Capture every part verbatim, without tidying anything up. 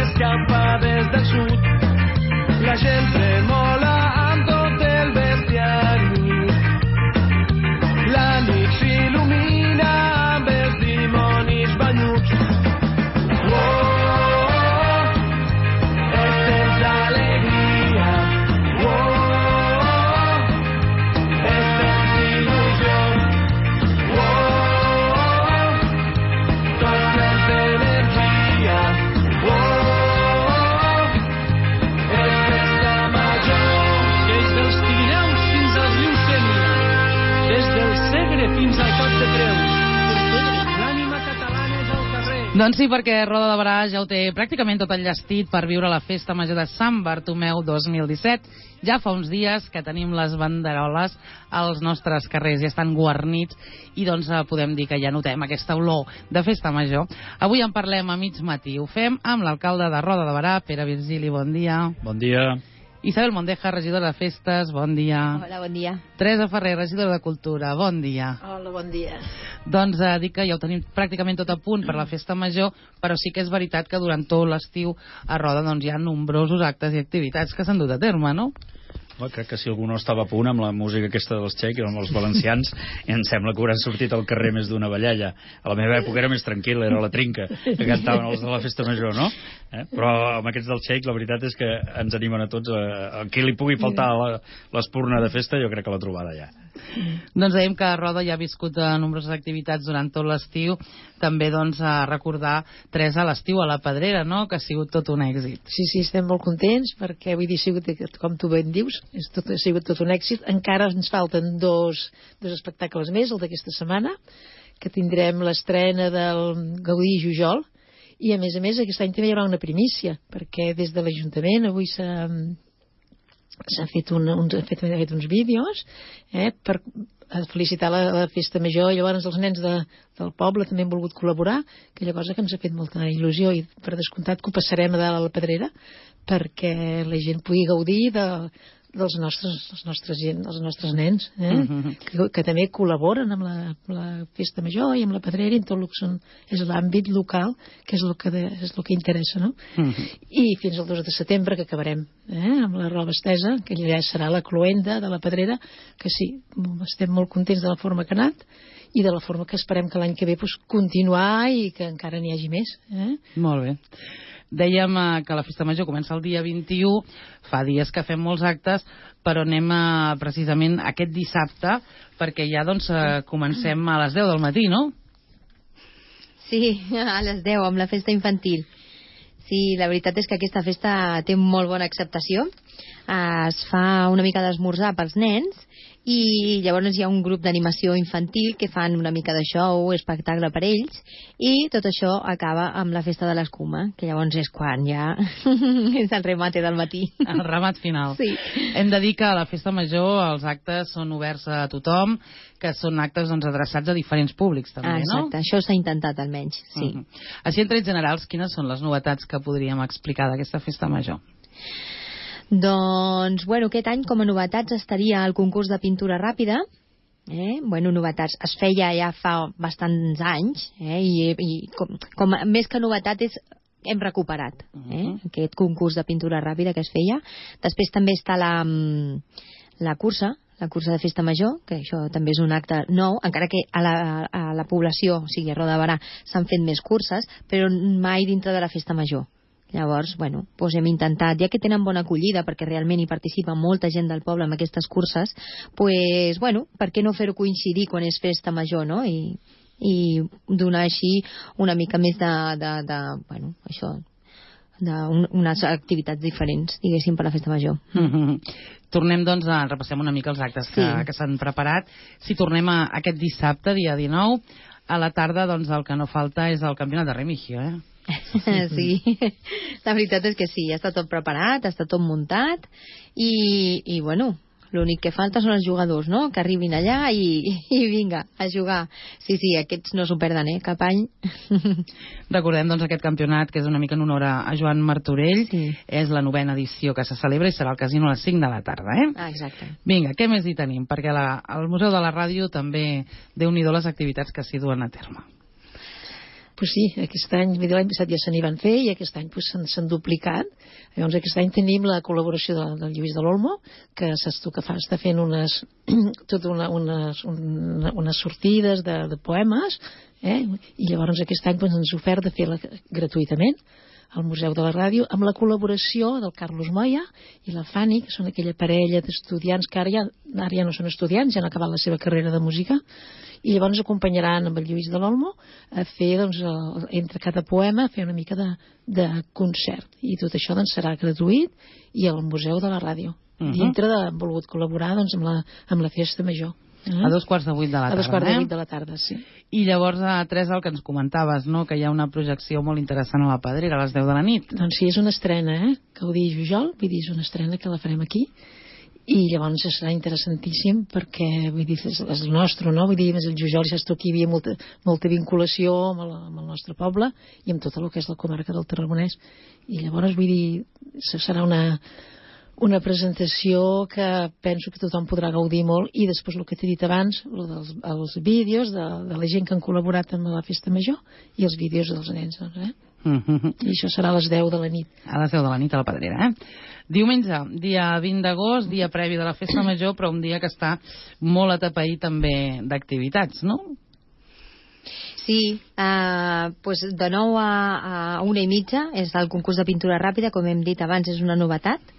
s'escapa des del sud. La gent tremola amb tot el bestiari. La nit s'il·lumina amb els dimonis banyuts. Fins al Cap de Creus. L'ànima catalana és al carrer. Doncs sí, perquè Roda de Barà ja ho té pràcticament tot enllestit per viure la festa major de Sant Bartomeu dos mil disset. Ja fa uns dies que tenim les banderoles als nostres carrers, ja estan guarnits i doncs podem dir que ja notem aquesta olor de festa major. Avui en parlem a mig matí. Ho fem amb l'alcalde de Roda de Barà, Pere Virgili, bon dia. Bon dia. Isabel Mondeja, regidora de Festes, bon dia. Hola, bon dia. Teresa Ferrer, regidora de Cultura, bon dia. Hola, bon dia. Doncs eh, dic que ja ho tenim pràcticament tot a punt per la festa major, però sí que és veritat que durant tot l'estiu a Roda doncs, hi ha nombrosos actes i activitats que s'han dut a terme, no? Bueno, crec que si algú no estava a punt amb la música aquesta dels txecs, amb els valencians, em sembla que hauran sortit al carrer més d'una ballalla. A la meva època era més tranquil, era la trinca, que cantaven els de la festa major, no? Eh? Però amb aquests del txec, la veritat és que ens animen a tots. A, a qui li pugui faltar l'espurna de festa, jo crec que l'ha trobada ja. Doncs dèiem que Roda ja ha viscut nombroses activitats durant tot l'estiu, també doncs a recordar Teresa l'estiu a la Pedrera, no? Que ha sigut tot un èxit. Sí, sí, estem molt contents perquè vull dir, sigut, com tu ben dius, és tot, ha sigut tot un èxit. Encara ens falten dos, dos espectacles més, el d'aquesta setmana, que tindrem l'estrena del Gaudí i Jujol, i a més a més aquest any també hi haurà una primícia, perquè des de l'Ajuntament avui s'ha s'ha fet, un, un, fet, fet uns vídeos eh, per felicitar la, la festa major, i llavors els nens de, del poble també han volgut col·laborar, aquella cosa que ens ha fet molta il·lusió, i per descomptat que ho passarem a dalt a la Pedrera perquè la gent pugui gaudir de, dels nostres, els nostres, gent, els nostres nens eh? mm-hmm. que, que també col·laboren amb la, la festa major i amb la Pedrera i en tot el que són, és l'àmbit local, que és el que, de, és el que interessa, no? Mm-hmm. I fins al dos de setembre que acabarem eh? amb la roba estesa, que ja serà la cloenda de la Pedrera, que sí, estem molt contents de la forma que ha anat i de la forma que esperem que l'any que ve pues, continuar i que encara n'hi hagi més eh? Molt bé. Dèiem eh, que la festa major comença el dia vint-i-u, fa dies que fem molts actes, però anem eh, precisament aquest dissabte, perquè ja doncs eh, comencem a les deu del matí, no? Sí, a les deu, amb la festa infantil. Sí, la veritat és que aquesta festa té molt bona acceptació. Es fa una mica d'esmorzar pels nens i llavors hi ha un grup d'animació infantil que fan una mica de show, espectacle per ells, i tot això acaba amb la festa de l'escuma, que llavors és quan ja és el remate del matí. El remat final. Sí. Hem de dir que a la festa major els actes són oberts a tothom, que són actes doncs, adreçats a diferents públics també, ah, exacte. No? Això s'ha intentat almenys, sí. Uh -huh. Així en trets generals, quines són les novetats que podríem explicar d'aquesta festa major? Doncs, bueno, aquest any com a novetats estaria el concurs de pintura ràpida. Eh? Bueno, novetats. Es feia ja fa bastants anys, eh? I, i com, com més que novetat és hem recuperat eh? Uh-huh. aquest concurs de pintura ràpida que es feia. Després també està la, la cursa, la cursa de festa major, que això també és un acte nou, encara que a la, a la població, o sigui, a Roda de Barà, s'han fet més curses, però mai dintre de la festa major. Llavors, bueno, doncs hem intentat, ja que tenen bona acollida, perquè realment hi participa molta gent del poble en aquestes curses, doncs, bueno, per què no fer-ho coincidir quan és festa major, no? I, i donar així una mica més de, de, de bueno, això, d'unes activitats diferents, diguéssim, per la festa major. Mm-hmm. Tornem, doncs, a repassem una mica els actes que, sí. que s'han preparat. Si tornem a aquest dissabte, dia dinou, a la tarda, doncs, el que no falta és el campionat de Remigio, eh? Sí, la veritat és que sí, ja està tot preparat, està tot muntat i, i bueno, l'únic que falta són els jugadors, no? Que arribin allà i, i vinga, a jugar. Sí, sí, aquests no s'ho perden, eh? Cap any. Recordem, doncs, aquest campionat, que és una mica en honor a Joan Martorell. Sí. És la novena edició que se celebra i serà al casino a les cinc de la tarda, eh? Ah, exacte. Vinga, què més hi tenim? Perquè la, al Museu de la Ràdio també, déu-n'hi-do les activitats que s'hi duen a terme. pues sí, aquest any, l'any passat ja se n'hi van fer i aquest any pues, s'han duplicat. Llavors aquest any tenim la col·laboració de, del Lluís de l'Olmo, que saps tu que fa, està fent unes, tot una, unes, una, unes sortides de, de poemes, eh? I llavors aquest any pues, ens ha ofert de fer-la gratuïtament al Museu de la Ràdio, amb la col·laboració del Carlos Moya i la Fanny, que són aquella parella d'estudiants que ara ja, ara ja no són estudiants, ja han acabat la seva carrera de música, i llavors acompanyaran amb el Lluís de l'Olmo a fer, doncs, el, entre cada poema, a fer una mica de, de concert. I tot això doncs, serà gratuït i al Museu de la Ràdio. Uh-huh. Dintre de, han volgut col·laborar doncs, amb, la, amb la festa major. Uh-huh. A dos quarts de vuit de la tarda. A dos quarts eh? de vuit de la tarda, sí. I llavors, a Teresa, el que ens comentaves, no? Que hi ha una projecció molt interessant a la Pedrera a les deu de la nit. Doncs sí, és una estrena, eh? Que ho digui Jujol, vull dir, és una estrena que la farem aquí. I llavors serà interessantíssim perquè, vull dir, és, és el nostre, no? Vull dir, més el Jujol, ja saps tu, aquí hi havia molta, molta vinculació amb el, amb el nostre poble i amb tot el que és la comarca del Tarragonès. I llavors, vull dir, serà una... una presentació que penso que tothom podrà gaudir molt i després el que t'he dit abans, dels, els vídeos de, de la gent que han col·laborat amb la festa major i els vídeos dels nens, doncs, eh? Mm-hmm. I això serà a les deu de la nit. A les deu de la nit a la Pedrera, eh? Diumenge, dia vint d'agost, dia previ de la festa major, però un dia que està molt atapeït també d'activitats, no? Sí, eh, pues de nou a, a una i mitja és el concurs de pintura ràpida, com hem dit abans, és una novetat.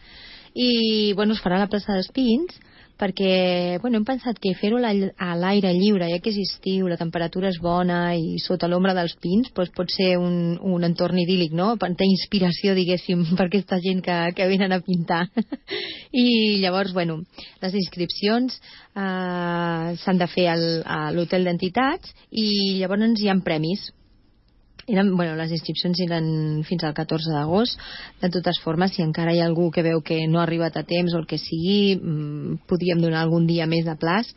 I bueno, es farà a la plaça dels Pins perquè bueno, hem pensat que fer-ho a l'aire lliure, ja que és estiu, la temperatura és bona i sota l'ombra dels pins doncs pot ser un, un entorn idíl·lic, no? D'inspiració, diguéssim, per aquesta gent que, que venen a pintar. I llavors, bueno, les inscripcions eh, s'han de fer al, a l'hotel d'entitats i llavors hi ha premis. Eren, bueno, les inscripcions eren fins al catorze d'agost. De totes formes, si encara hi ha algú que veu que no ha arribat a temps o el que sigui, mmm, podríem donar algun dia més de plaç.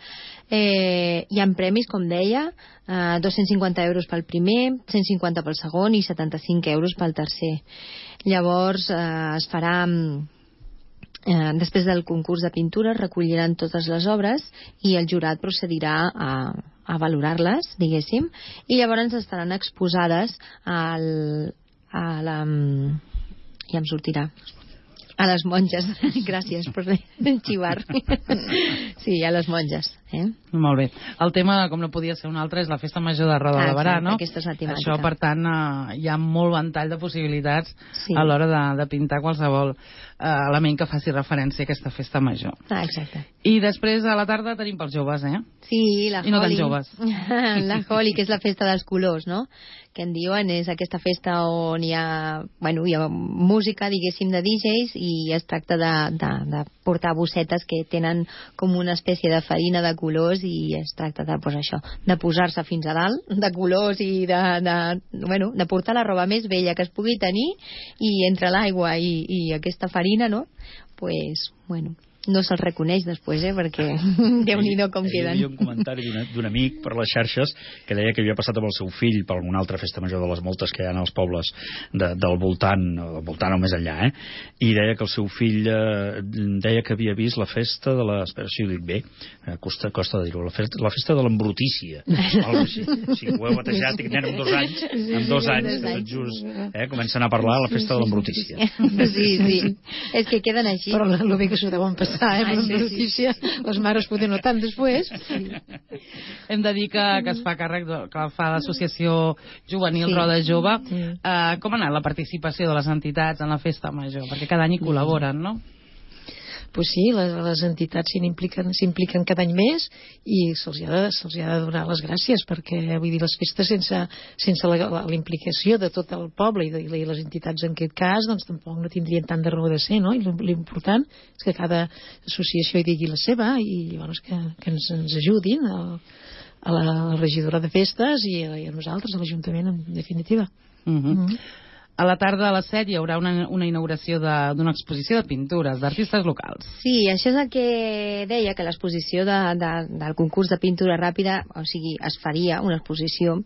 Eh, hi ha premis, com deia, eh, dos-cents cinquanta euros pel primer, cent cinquanta pel segon i setanta-cinc euros pel tercer. Llavors eh, es farà... Eh, després del concurs de pintura recolliran totes les obres i el jurat procedirà a, a valorar-les, diguéssim, i llavors estaran exposades al, a la... ja em sortirà a les monges. Gràcies per xivar. Sí, a les monges. Eh? Molt bé. El tema, com no podia ser un altre, és la festa major de Roda ah, de Barà, no? Aquesta és la temàtica. Això, per tant, eh, hi ha molt ventall de possibilitats sí. a l'hora de, de pintar qualsevol eh, element que faci referència a aquesta festa major. Ah, exacte. I després, a la tarda, tenim pels joves, eh? Sí, la I no Holi. tan joves. La Holi, que és la festa dels colors, no? Que en diuen és aquesta festa on hi ha, bueno, hi ha música, diguéssim, de D Js i es tracta de, de, de portar bossetes que tenen com una espècie de farina de colors i es tracta de, pues, això, de posar-se fins a dalt de colors i de, de, bueno, de portar la roba més vella que es pugui tenir i entre l'aigua i, i aquesta farina, no? Pues, bueno... no se'ls reconeix després, eh, perquè Déu-n'hi-do com queden. Hi havia un comentari d'un amic per les xarxes que deia que havia passat amb el seu fill per alguna altra festa major de les moltes que hi ha als pobles de, del voltant, del voltant o més enllà, eh? I deia que el seu fill eh, deia que havia vist la festa de la... Espera, si ho dic bé, eh, costa, costa de dir-ho, la festa, la festa de l'embrutícia. O sigui, ho heu batejat, i nen amb dos anys, amb dos anys, tot just, eh, comencen a parlar la festa de l'embrutícia. Sí, sí, és que queden així. Però el bé que s'ho deuen passar. Eh, per una notícia, les mares poden no tant després. Sí. Hem de dir que, que es fa càrrec de, que fa l'associació juvenil sí. Roda Jove. Sí. Uh, com ha anat la participació de les entitats en la festa major? Perquè cada any hi col·laboren, no? Pues sí, les, les entitats s'impliquen s'impliquen cada any més i se'ls ha, de, se'ls ha de donar les gràcies perquè, vull dir, les festes sense, sense la, la, la implicació de tot el poble i, de, i les entitats en aquest cas, doncs tampoc no tindrien tant de raó de ser, no? I l'important és que cada associació hi digui la seva i llavors que, que ens, ens ajudin a, a la regidora de festes i a, i a nosaltres, a l'Ajuntament, en definitiva. Uh-huh. Uh-huh. A la tarda a les set hi haurà una, una inauguració d'una exposició de pintures d'artistes locals. Sí, això és el que deia, que l'exposició de, de, del concurs de pintura ràpida, o sigui, es faria una exposició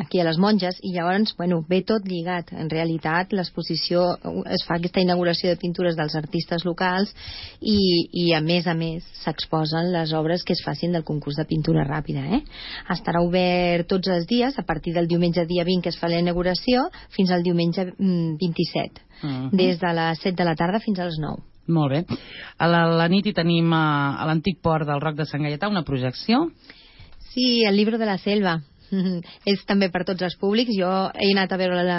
aquí a les Monges, i llavors, bueno, ve tot lligat. En realitat, l'exposició, es fa aquesta inauguració de pintures dels artistes locals i, i a més a més, s'exposen les obres que es facin del concurs de pintura ràpida, eh? Estarà obert tots els dies, a partir del diumenge dia vint, que es fa la inauguració, fins al diumenge vint-i-set, uh-huh. des de les set de la tarda fins a les nou. Molt bé. A la, la nit hi tenim a, a l'antic port del Roc de Sant Gaietà una projecció. Sí, el Libro de la Selva. És també per tots els públics. Jo he anat a veure la,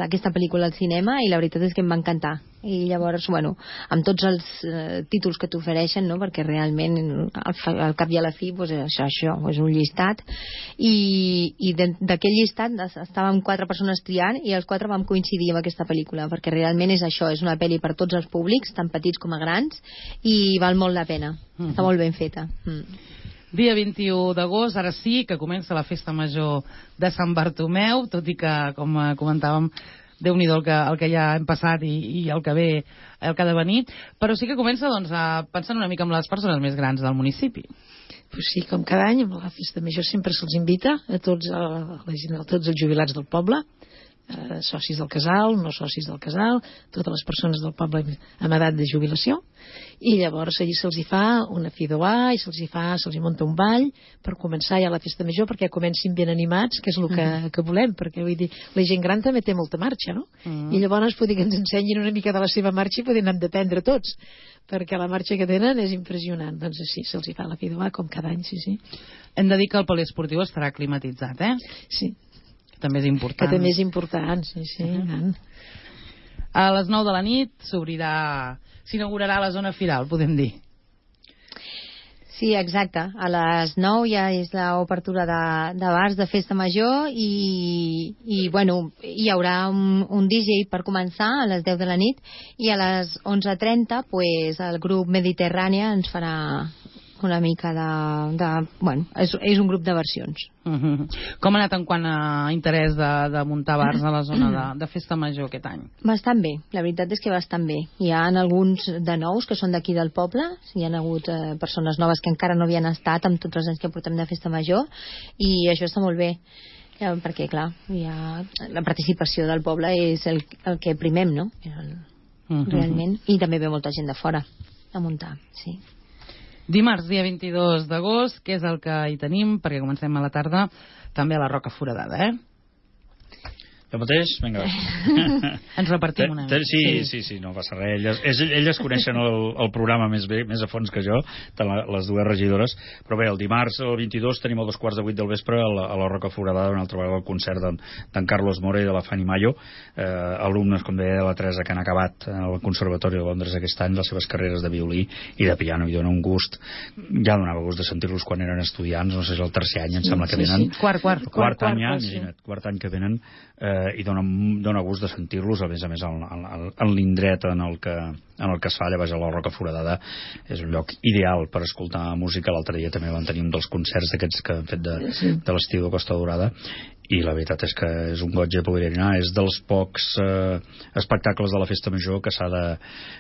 la, aquesta pel·lícula al cinema i la veritat és que em va encantar. I llavors, bueno, amb tots els eh, títols que t'ofereixen, no? Perquè realment al, al cap i a la fi pues, això, això és un llistat i, i d'aquell llistat estàvem quatre persones triant i els quatre vam coincidir amb aquesta pel·lícula, perquè realment és això, és una pel·li per tots els públics, tant petits com a grans, i val molt la pena. Mm-hmm. Està molt ben feta. Mm. Dia vint-i-u d'agost, ara sí que comença la festa major de Sant Bartomeu, tot i que, com comentàvem, Déu-n'hi-do el que, el que ja hem passat i, i el que ve, el que ha de venir, però sí que comença doncs, a pensar una mica en les persones més grans del municipi. Pues sí, com cada any, amb la festa major sempre se'ls invita a tots, a la gent, a tots els jubilats del poble, eh, socis del casal, no socis del casal, totes les persones del poble amb edat de jubilació, i llavors allí se'ls hi fa una fidoà i se'ls hi fa, se'ls hi munta un ball per començar ja la festa major, perquè comencin ben animats, que és el que, que volem, perquè vull dir, la gent gran també té molta marxa, no? Mm. I llavors poder que ens ensenyin una mica de la seva marxa i poder anar d'aprendre tots, perquè la marxa que tenen és impressionant. Doncs sí, se'ls hi fa la fidoà com cada any, sí, sí. Hem de dir que el poliesportiu estarà climatitzat, eh? Sí. Que també és important. Que també és important, sí, sí. Uh-huh. A les nou de la nit s'obrirà, s'inaugurarà la zona firal, podem dir. Sí, exacte. A les nou ja és l'obertura de, de bars de festa major i, i bueno, hi haurà un, un D J per començar a les deu de la nit i a les onze trenta pues, el grup Mediterrània ens farà una mica de... de bueno, és, és un grup de versions. Uh-huh. Com ha anat en quant a interès de, de muntar bars a la zona de, de festa major aquest any? Bastant bé, la veritat és que bastant bé. Hi ha alguns de nous que són d'aquí del poble, hi ha hagut eh, persones noves que encara no havien estat amb tots els anys que portem de festa major i això està molt bé. Ja, perquè, clar, hi ha... la participació del poble és el, el que primem, no? El, uh-huh. Realment. I també ve molta gent de fora a muntar, sí. Dimarts, dia vint-i-dos d'agost, que és el que hi tenim, perquè comencem a la tarda, també a la Roca Foradada, eh? Jo mateix? Vinga. Ens repartim una mica. Sí, sí, sí, no passa res. Elles, elles coneixen el, el programa més bé, més a fons que jo, les dues regidores. Però bé, el dimarts, el vint-i-dos, tenim a dos quarts de vuit del vespre a la, a la Roca Foradada, una altra vegada el concert d'en Carlos More i de la Fanny Mayo, eh, alumnes, com deia, de la Teresa, que han acabat al Conservatori de Londres aquest any les seves carreres de violí i de piano, i dona un gust. Ja donava gust de sentir-los quan eren estudiants, no sé si és el tercer any, em sembla que venen. Sí, sí. Quart, quart. Quart, quart any, ja, imagina't, quart any que venen, eh, i dona, dona gust de sentir-los, a més a més en, en, en l'indret en el que en el que es fa, llavors a la Roca Foradada és un lloc ideal per escoltar música. L'altre dia també van tenir un dels concerts d'aquests que han fet de, de l'estiu de Costa Daurada i la veritat és que és un goig de poder anar. És dels pocs eh, espectacles de la festa major que s'ha de,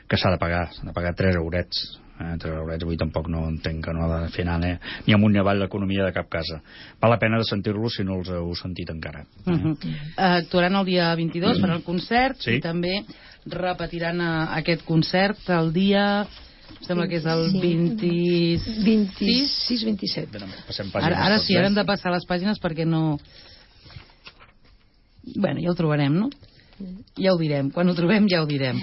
que s'ha de pagar, s'ha de pagar tres eurets. Eh, tres eurets, avui tampoc no entenc que no ha de fer anar eh, ni amunt ni avall l'economia de cap casa. Val la pena de sentir-los si no els heu sentit encara. Eh? Uh-huh. uh, actuaran el dia vint-i-dos mm. per al concert, sí. I també repetiran uh, aquest concert el dia... Sembla que és el vint-i-sis... vint-i-sis vint-i-set. Ara, ara sí, ara hem de passar les pàgines perquè no... Bueno, ja ho trobarem, no? Ja ho direm. Quan ho trobem ja ho direm.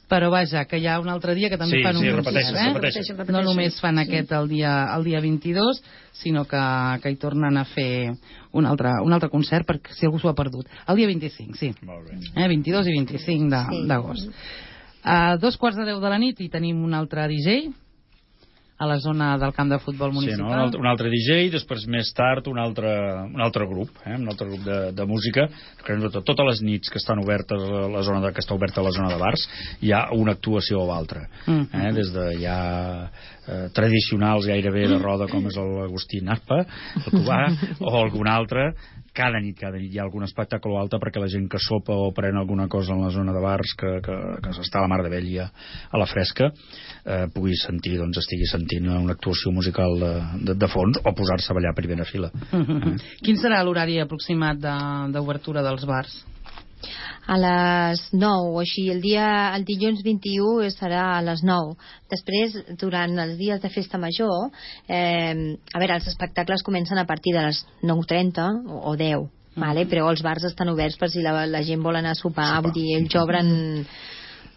Però vaja, que hi ha un altre dia que també sí, fan sí, un repeteixen, concert, eh? repeteixen, repeteixen. No només fan sí. aquest el dia, el dia vint-i-dos, sinó que, que hi tornen a fer un altre, un altre concert, perquè si algú s'ho ha perdut. El dia vint-i-cinc, sí. Molt bé. Eh, vint-i-dos i vint-i-cinc d'agost. Sí. A dos quarts de deu de la nit hi tenim un altre D J a la zona del camp de futbol municipal. Sí, no? un, altre, un altre D J, després més tard un altre, un altre grup, eh? un altre grup de, de música. Totes les nits que estan obertes a la zona de, que està oberta a la zona de bars hi ha una actuació o altra. Mm. Eh? Des de ja eh, tradicionals gairebé de roda com és l'Agustí Naspa, el Cubà, o algun altre. Cada nit, cada nit hi ha algun espectacle o altre perquè la gent que sopa o pren alguna cosa en la zona de bars que, que, que s'està a la mar de vella a la fresca eh, pugui sentir, doncs estigui sentint sentint una actuació musical de, de, de fons, o posar-se a ballar a primera fila. Uh-huh. eh? Quin serà l'horari aproximat d'obertura de, dels bars? A les nou o així. El dia, el dilluns vint-i-u serà a les nou. Després, durant els dies de festa major, eh, a veure, els espectacles comencen a partir de les nou trenta o, o deu, vale? Però els bars estan oberts per si la, la gent vol anar a sopar, sí, vull dir, ells obren...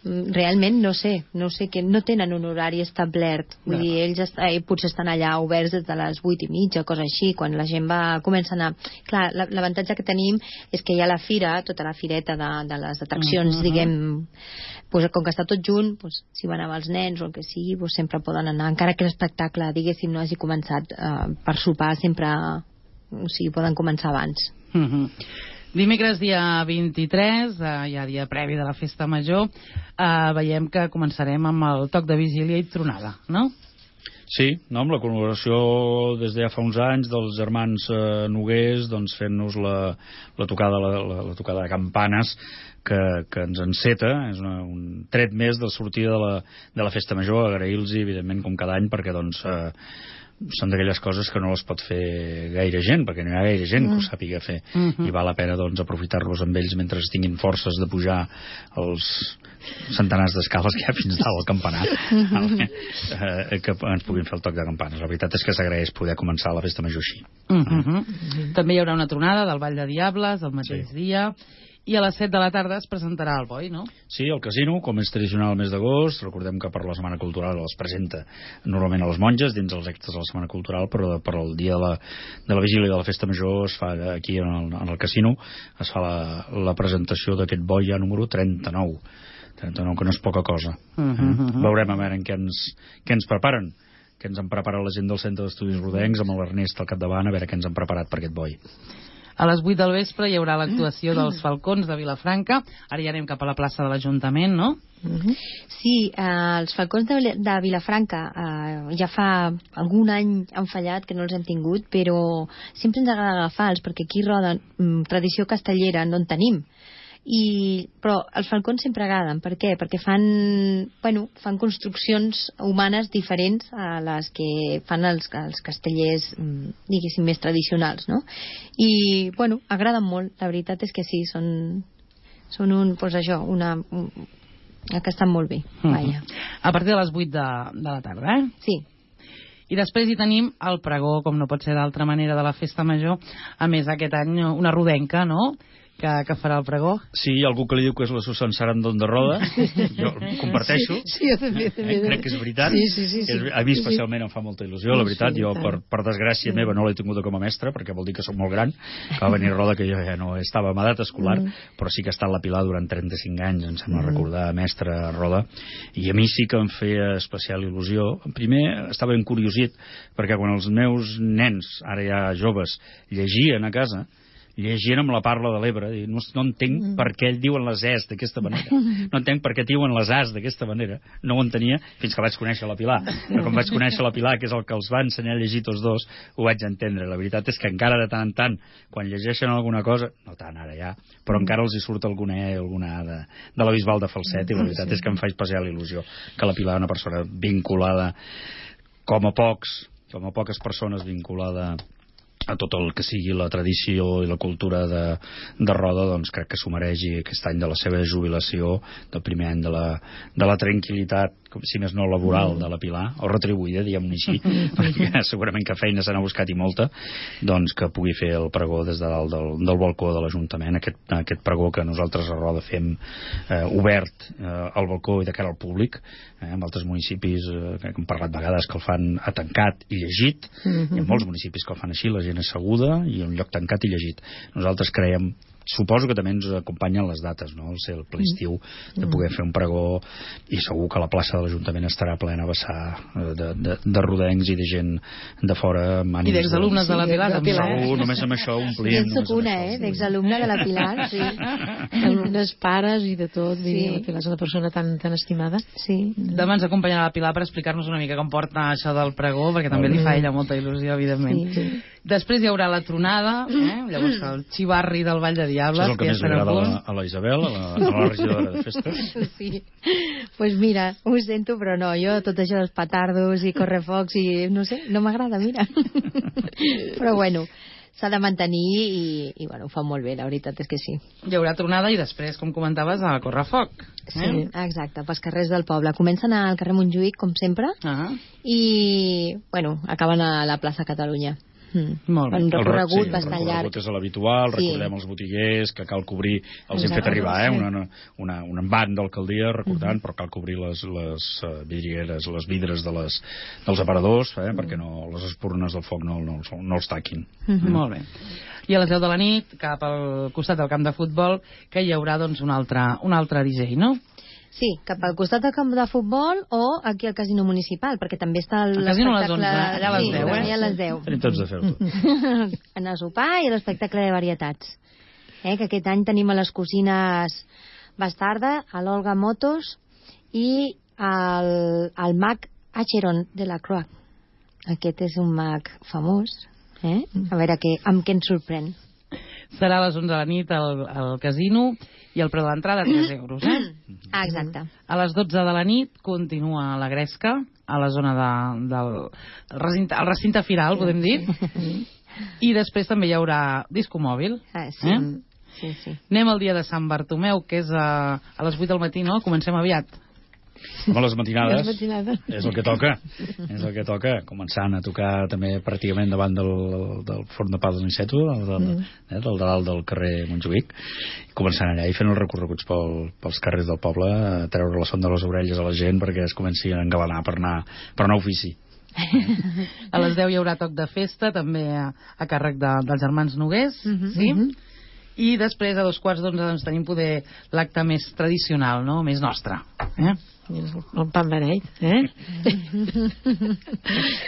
Realment no sé, no sé que no tenen un horari establert, vull no. dir, ells est eh, potser estan allà oberts des de les vuit i mitja, cosa així, quan la gent va comença a anar. Clar, l'avantatge que tenim és que hi ha la fira, tota la fireta de, de les atraccions, uh -huh. diguem, pues, com que està tot junt, pues, si van amb els nens o el que sigui, pues, sempre poden anar, encara que l'espectacle, diguéssim, no hagi començat eh, per sopar, sempre, o sigui, poden començar abans. Uh -huh. Dimecres, dia vint-i-tres, eh, ja dia previ de la festa major, eh, veiem que començarem amb el toc de vigília i tronada, no? Sí, no, amb la col·laboració des de ja fa uns anys dels germans eh, Noguers, doncs fent-nos la, la, tocada, la, la, la tocada de campanes que, que ens enceta, és una, un tret més de sortida de la, de la festa major, agrair-los, evidentment, com cada any, perquè doncs... Eh, són d'aquelles coses que no les pot fer gaire gent, perquè no hi ha gaire gent que ho sàpiga fer, uh -huh. i val la pena doncs aprofitar-los amb ells mentre tinguin forces de pujar els centenars d'escales que hi ha fins dalt al campanar, uh -huh. eh, que ens puguin fer el toc de campanes. La veritat és que s'agraeix poder començar la festa major així. Uh -huh. eh? També hi haurà una tronada del Ball de Diables el mateix sí. dia, i a les set de la tarda es presentarà el boi, no? Sí, al casino, com és tradicional el mes d'agost. Recordem que per la Setmana Cultural es presenta normalment a les monges dins els actes de la Setmana Cultural, però per el dia de la, de la vigília de la festa major es fa aquí en el, en el casino, es fa la, la presentació d'aquest boi ja número trenta-nou, trenta-nou, que no és poca cosa. Uh -huh, uh -huh. Veurem a veure en què ens, què ens preparen, que ens han preparat la gent del Centre d'Estudis Rodencs amb l'Ernest al capdavant, a veure què ens han preparat per aquest boi. A les vuit del vespre hi haurà l'actuació dels Falcons de Vilafranca. Ara ja anem cap a la plaça de l'Ajuntament, no? Sí, eh, els Falcons de, de Vilafranca eh, ja fa algun any han fallat, que no els hem tingut, però sempre ens agrada agafar-los, perquè aquí roden mm, tradició castellera, no en tenim. I, però els falcons sempre agraden. Per què? Perquè fan, bueno, fan construccions humanes diferents a les que fan els, els castellers, diguéssim, més tradicionals, no? I, bueno, agraden molt. La veritat és que sí, són, són un, pues això, una... Un, que estan molt bé. Uh -huh. Vaja. A partir de les vuit de, de la tarda, eh? Sí. I després hi tenim el pregó, com no pot ser d'altra manera, de la festa major. A més, aquest any una rodenca, no?, que, que farà el pregó. Sí, hi ha algú que li diu que és la Susan Sarandon de Roda. Jo ho comparteixo. Sí, sí, jo també, també. Eh, crec que és veritat. Sí, sí, sí, sí. És, a mi especialment em fa molta il·lusió, la veritat. Sí, jo, per, per desgràcia meva, no l'he tinguda com a mestra, perquè vol dir que soc molt gran. Que va venir Roda, que jo ja no estava en edat escolar, mm. però sí que ha estat la Pilar durant trenta-cinc anys, em sembla mm. recordar, mestra Roda. I a mi sí que em feia especial il·lusió. Primer, estava encuriosit, perquè quan els meus nens, ara ja joves, llegien a casa, llegint amb la Parla de l'Ebre, no, no entenc mm. per què diuen les es d'aquesta manera, no entenc per què diuen les as d'aquesta manera, no ho entenia fins que vaig conèixer la Pilar, però quan vaig conèixer la Pilar, que és el que els va ensenyar a llegir tots dos, ho vaig entendre. La veritat és que encara de tant en tant, quan llegeixen alguna cosa, no tant ara ja, però encara els hi surt alguna E, alguna A de, de la Bisbal de Falset, i la veritat és que em fa especial il·lusió que la Pilar, una persona vinculada com a pocs, com a poques persones vinculada a tot el que sigui la tradició i la cultura de, de Roda, doncs crec que s'ho mereixi aquest any de la seva jubilació, del primer any de la, de la tranquil·litat, si més no laboral, mm. de la Pilar, o retribuïda, diguem-ne així, perquè segurament que feina se n'ha buscat i molta, doncs que pugui fer el pregó des de dalt del, del balcó de l'Ajuntament, aquest, aquest pregó que nosaltres a Roda fem eh, obert eh, al balcó i de cara al públic, eh, en altres municipis eh, que hem parlat vegades que el fan a tancat i llegit, mm-hmm. hi ha molts municipis que el fan així, la gent asseguda i un lloc tancat i llegit. Nosaltres creiem, suposo que també ens acompanyen les dates, no? El ser el ple estiu de poder fer un pregó, i segur que la plaça de l'Ajuntament estarà plena a vessar de, de, de rodencs i de gent de fora amb ànims. I d'exalumnes de, de la Pilar, també. Segur, només amb això omplint. Jo soc una, eh, d'exalumne de la Pilar, sí. Els pares i de tot, sí. La Pilar és una persona tan, tan estimada. Sí. Demà ens acompanyarà la Pilar per explicar-nos una mica com porta això del pregó, perquè també li fa a ella molta il·lusió, evidentment. Sí. Després hi haurà la tronada, eh? Llavors el xivarri del Vall de Diables. Això és el que que més ja li estarà agrada a punt. la, a la Isabel, a la, a la regidora de festes. Sí. Pues mira, ho sento, però no, jo tot això dels petardos i correfocs i no sé, no m'agrada, mira. Però bueno, s'ha de mantenir i, i bueno, ho fa molt bé, la veritat és que sí. Hi haurà tronada i després, com comentaves, a correfoc. Eh? Sí, exacte, pels carrers del poble. Comencen al carrer Montjuïc, com sempre, Ah. i, bueno, acaben a la plaça Catalunya. Mm. Molt bé. Un recorregut sí, bastant el llarg. recorregut és l'habitual, Sí. recordem els botiguers, que cal cobrir, els hem Exacte, fet arribar, eh, sí. una, una, un envant d'alcaldia recordant, però cal cobrir les, les uh, vidrieres, les vidres de les, dels aparadors, eh, perquè no, les espurnes del foc no, no, no els taquin. Mm. Molt bé. I a les deu de la nit, cap al costat del camp de futbol, que hi haurà doncs, un, altre, un altre D J, no? Sí, cap al costat del camp de futbol o aquí al casino municipal, perquè també està El casino a les onze, l'espectacle... allà a les sí, deu, eh? allà a les deu. Tenim tots de fer-ho. En el sopar i l'espectacle de varietats. Eh, que aquest any tenim a les cosines Bastarda, a l'Olga Motos i al, al mag Acheron de la Croix. Aquest és un mag famós. Eh? A veure que, amb què ens sorprèn. Serà a les onze de la nit al, al casino i el preu de l'entrada tres euros, eh? Ah, exacte. A les dotze de la nit continua la gresca a la zona de, del el recinte, el recinte firal, podem dir. I després també hi haurà disco mòbil. Ah, sí. Eh? Sí, sí. Anem al dia de Sant Bartomeu, que és a, a les vuit del matí, no? Comencem aviat. Home, les matinades, Les matinades. és el que toca, és el que toca, començant a tocar també pràcticament davant del, del forn de pa de Niceto, del, del, Mm. eh, del dalt del carrer Montjuïc, començant allà i fent els recorreguts pel, pels carrers del poble, a treure la son de les orelles a la gent perquè es comenci a engalanar per anar, per anar a ofici. A les deu hi haurà toc de festa, també a, a càrrec de, dels germans Nogués, Mhm. sí? Mhm. I després, a dos quarts d'onze, doncs, tenim poder l'acte més tradicional, no? Més nostre. Eh? El pan beneit, eh?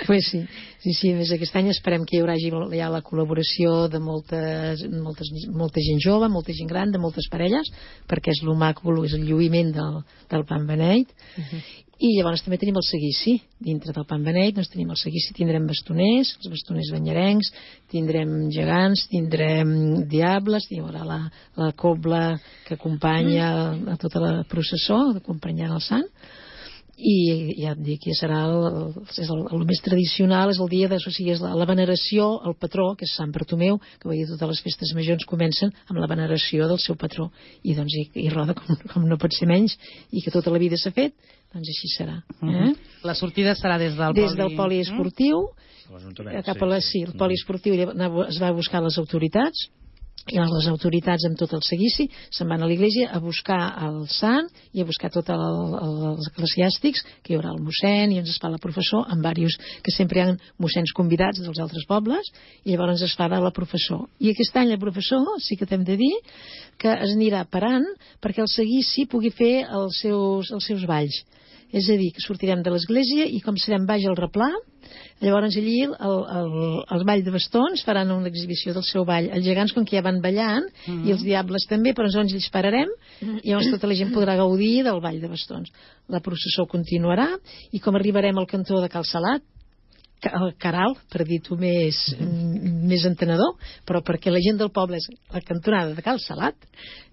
Pues sí, sí, sí, més aquest any esperem que hi haurà ja la col·laboració de moltes, moltes, molta gent jove, molta gent gran, de moltes parelles, perquè és el maco, és el lluïment del, del pan beneit. I llavors també tenim el seguici dintre del pan beneit, doncs tenim el seguici, tindrem bastoners, els bastoners banyarencs, tindrem gegants, tindrem diables, hi haurà la, la cobla que acompanya a tota la processó, acompanyant el sant, i ja et dic, ja serà el, és el, el més tradicional, és el dia de, o sigui, és la, la veneració al patró, que és Sant Bartomeu, que vull dir, totes les festes majors comencen amb la veneració del seu patró, i doncs i, i roda com, com no pot ser menys, i que tota la vida s'ha fet, doncs així serà. Eh? La sortida serà des del Des poli... del poliesportiu, L'Ajuntament, cap a la, sí, el poliesportiu es va buscar les autoritats, i les autoritats amb tot el seguici se'n van a l'església a buscar el sant i a buscar tots el, el, els eclesiàstics, que hi haurà el mossèn i ens es fa la professor, amb diversos que sempre hi ha mossèns convidats dels altres pobles, i llavors es fa de la professor. I aquest any la professor, sí que t'hem de dir que es anirà parant perquè el seguici pugui fer els seus, els seus balls. És a dir, que sortirem de l'església i com serem baix al replà, llavors allí el, el, el ball de bastons faran una exhibició del seu ball. Els gegants, com que ja van ballant, mm -hmm. i els diables també, però ens ells pararem, i llavors tota la gent podrà gaudir del ball de bastons. La processó continuarà, i com arribarem al cantó de Cal Salat, el Caral, per dir-ho més, més entenedor, però perquè la gent del poble és la cantonada de Cal Salat,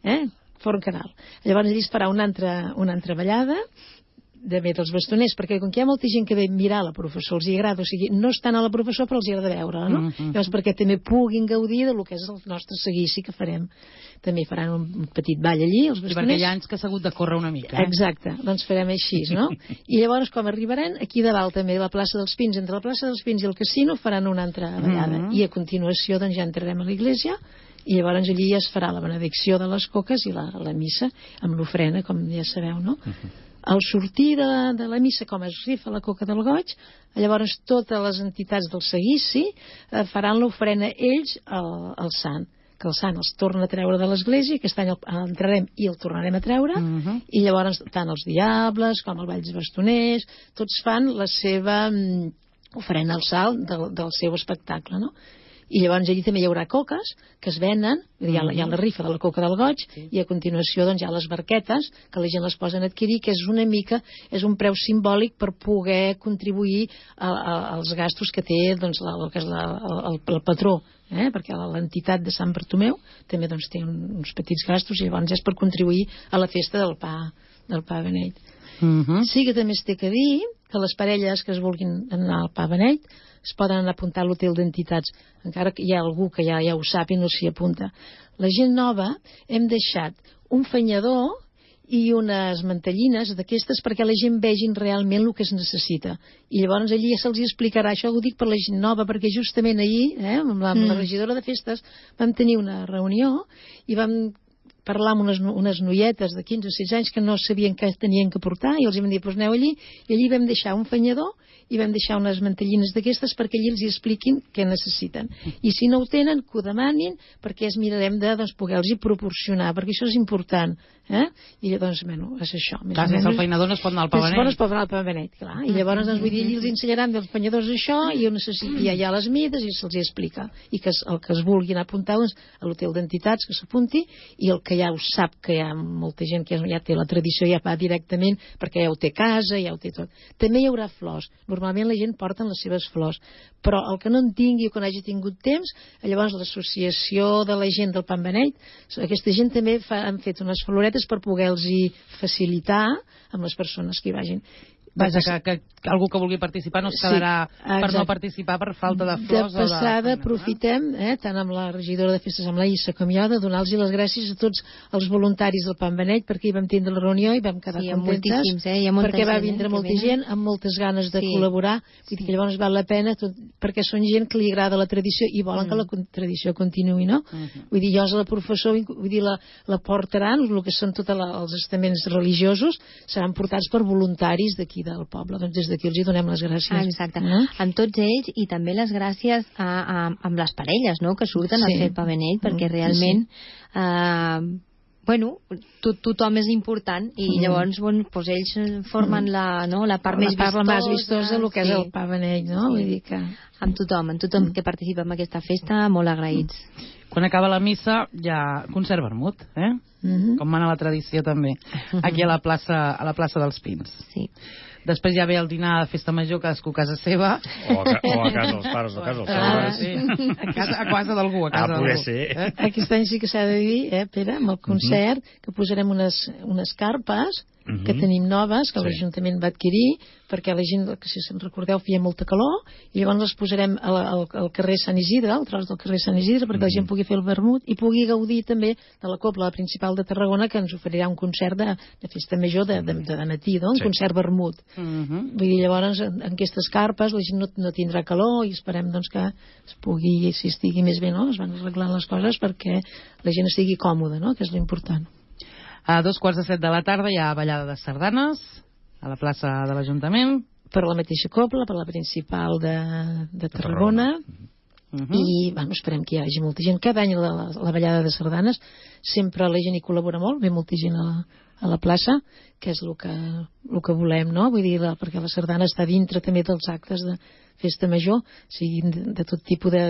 eh? Forn Caral. Llavors allí es farà una altra, una altra ballada, de més dels bastoners, perquè com que hi ha molta gent que ve mirar la professor, els hi agrada, o sigui, no estan a la professor però els hi agrada veure-la, no? Mm-hmm. Llavors perquè també puguin gaudir del que és el nostre seguici que farem. També faran un petit ball allí, els bastoners. I perquè hi ha anys que s'ha hagut de córrer una mica, eh? Exacte, doncs farem així, no? I llavors, com arribaran, aquí de dalt també, la plaça dels Pins, entre la plaça dels Pins i el casino, faran una altra ballada. Mm-hmm. I a continuació, doncs, ja entrarem a l'església, i llavors allí ja es farà la benedicció de les coques i la, la missa, amb l'ofrena, com ja sabeu, no? Mm-hmm. Al sortir de la, de la missa, com es rifa la coca del goig, llavors totes les entitats del seguici eh, faran l'ofrena ells al, al sant, que el sant els torna a treure de l'església, aquest any el, entrarem i el tornarem a treure, uh-huh. i llavors tant els diables com el ball dels bastoners, tots fan la seva um, ofrena al salt del, del seu espectacle, no? I llavors allí també hi haurà coques que es venen, hi ha, hi ha la rifa de la coca del goig, sí. I a continuació doncs, hi ha les barquetes que la gent les poden adquirir, que és una mica, és un preu simbòlic per poder contribuir a, a, als gastos que té doncs, la, el, que és la, el, el patró, eh? Perquè l'entitat de Sant Bartomeu també doncs, té uns petits gastos i llavors és per contribuir a la festa del pa, del pa beneit. Uh-huh. Sí que també es té que dir que les parelles que es vulguin anar al pa beneit es poden anar a apuntar a l'hotel d'entitats, encara que hi ha algú que ja, ja ho sap i no s'hi apunta. La gent nova hem deixat un fanyador i unes mantellines d'aquestes perquè la gent vegin realment el que es necessita. I llavors allí ja se'ls explicarà. Això ho dic per la gent nova, perquè justament ahir, eh, amb, la, amb la regidora de festes, vam tenir una reunió i vam parlar amb unes, unes noietes de quinze o setze anys que no sabien què tenien que portar i els vam dir, doncs aneu allí, i allí vam deixar un fanyador i vam deixar unes mantellines d'aquestes perquè allí els hi expliquin què necessiten. I si no ho tenen, que ho demanin, perquè es mirarem de doncs, poder-los proporcionar, perquè això és important. Eh? I doncs, bueno, és això. Més clar, sense el feinador no es pot anar al pa beneit. No es pot anar al pa beneit, clar. I llavors, doncs, vull dir, els ensenyaran dels fanyadors això, i hi ha, hi ha les mides, i se'ls explica. I que el que es vulgui anar a apuntar doncs, a l'hotel d'entitats, que s'apunti, i el que ja ho sap, que hi ha molta gent que ja té la tradició, ja va directament, perquè ja ho té a casa, ja ho té tot. També hi haurà flors. Normalment la gent porta les seves flors, però el que no en tingui o que no hagi tingut temps, llavors l'associació de la gent del pa beneit, aquesta gent també fa, han fet unes floretes per poder-los facilitar amb les persones que hi vagin. Vaja, que, que algú que vulgui participar no es quedarà sí, per no participar per falta de flors. De passada, o de... aprofitem, eh, tant amb la regidora de festes, amb la Issa, com jo, de donar-los les gràcies a tots els voluntaris del pa beneit, perquè hi vam tindre la reunió i vam quedar sí, contentes, eh? perquè va gent, vindre eh, molta gent amb moltes ganes de sí. col·laborar, vull sí. dir que llavors val la pena, tot, perquè són gent que li agrada la tradició i volen mm. que la tradició continuï, no? Mm-hmm. Vull dir, jo la professor, vull dir, la, la portaran, el que són tots els estaments religiosos, seran portats per voluntaris d'aquí del poble, doncs des d'aquí els hi donem les gràcies. Ah, exacte. No? Amb tots ells i també les gràcies a, a, amb les parelles, no?, que surten sí. a fer el pa beneit, perquè realment sí. eh, bueno, to, tothom és important i mm. llavors bueno, doncs ells formen la, no, la part la més part vistosa, més vistosa del que sí. és el pa beneit, no? Sí. Vull dir que... amb tothom, amb tothom mm. que participa en aquesta festa, molt agraïts. Quan acaba la missa hi ha concert vermut, eh? Mm-hmm. Com mana la tradició també, aquí a la plaça, a la plaça dels Pins. Sí. Després ja ve el dinar de festa major, cadascú a casa seva. O a, o a casa dels pares, o a casa dels pares. Sí. A casa, a casa d'algú, a casa ah, d'algú. Ser. Eh? Aquest any sí que s'ha de dir, eh, Pere, amb el concert, mm-hmm. que posarem unes, unes carpes mm-hmm. que tenim noves, que sí. l'Ajuntament va adquirir, perquè la gent, que si se'n recordeu, feia molta calor, i llavors les posarem al, al, al carrer Sant Isidre, al tros del carrer Sant Isidre, perquè mm-hmm. la gent pugui fer el vermut i pugui gaudir també de la Cobla Principal de Tarragona, que ens oferirà un concert de, de festa major de, de, de, de matí, no? Un sí. concert vermut. Mm-hmm. Vull dir, llavors, en, en aquestes carpes la gent no, no tindrà calor i esperem doncs, que es pugui, si estigui més bé, no? Es van arreglant les coses perquè la gent estigui còmoda, no? Que és l'important. A dos quarts de set de la tarda hi ha ballada de sardanes a la plaça de l'Ajuntament. Per la mateixa Cobla, per la principal de, de Tarragona. Uh-huh. I bueno, esperem que hi hagi molta gent. Cada any la, la, la ballada de sardanes sempre la gent hi col·labora molt, ve molta gent a la, a la plaça, que és el que, el que volem, no? Vull dir, la, perquè la sardana està dintre també dels actes de festa major, siguin de, de tot tipus de,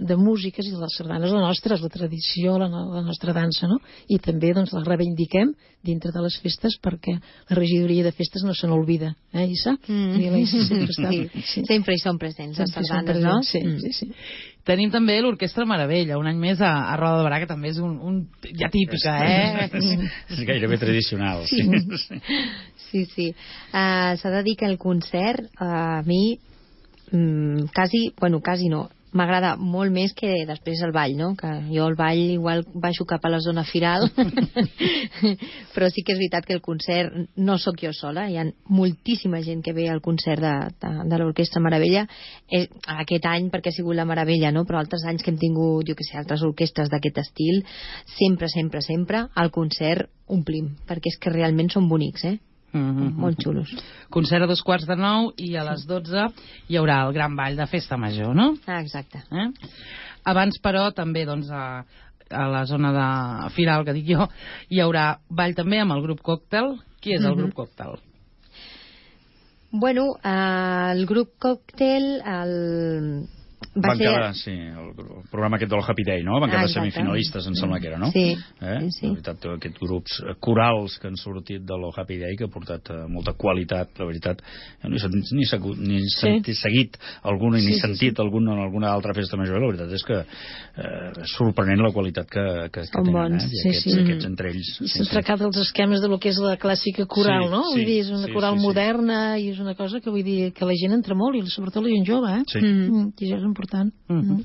de músiques, i la sardana és la nostra, és la tradició, la, la nostra dansa, no? I també doncs la reivindiquem dintre de les festes perquè la regidoria de festes no se n'olvida, eh, Issa? Mm. I la Issa sempre està... Sí, sí. Sempre hi són presents, les sardanes, no? Sí, mm. sí, sí. Tenim també l'Orquestra Meravella, un any més a, a Roda de Barà, que també és un, un ja típica, eh? És gairebé tradicional. Sí, sí. sí, sí. Uh, s'ha de dir que el concert uh, a mi mm, quasi, bueno, quasi no, m'agrada molt més que després el ball, no? Que jo el ball igual baixo cap a la zona firal però sí que és veritat que el concert no sóc jo sola, hi ha moltíssima gent que ve al concert de, de, de l'Orquestra Meravella, eh, aquest any perquè ha sigut la Meravella, no? Però altres anys que hem tingut, jo que sé, altres orquestres d'aquest estil, sempre, sempre, sempre al concert omplim, perquè és que realment són bonics, eh? Mm-hmm. Molt xulos. Concert a dos quarts de nou i a les dotze hi haurà el gran ball de festa major, no? Ah, exacte. Eh? Abans, però, també doncs, a, a la zona de Firal, que dic jo, hi haurà ball també amb el grup Còctel. Qui és el mm-hmm. grup Còctel? Bueno, eh, el grup Còctel el... van ser... quedar, sí, el, el programa aquest del Happy Day, no? Van quedar ah, semifinalistes, em sembla que era, no? Sí, eh? sí. La veritat, aquests grups corals que han sortit de lo Happy Day, que ha portat uh, molta qualitat, la veritat. Jo no he sentit, ni, segut, ni sí. sentit, seguit alguna, ni sí, sentit sí, sí. alguna en alguna altra festa major. La veritat és que eh, és sorprenent la qualitat que, que, que tenen, bons. eh? I sí, aquests, sí. aquests entre ells. I s'han trencat els esquemes de lo que és la clàssica coral, sí, no? Sí, vull dir, és una sí, coral sí, sí. moderna i és una cosa que vull dir que la gent entra molt, i sobretot la gent jove, eh? Sí. Mm, I això és important. Mm -hmm.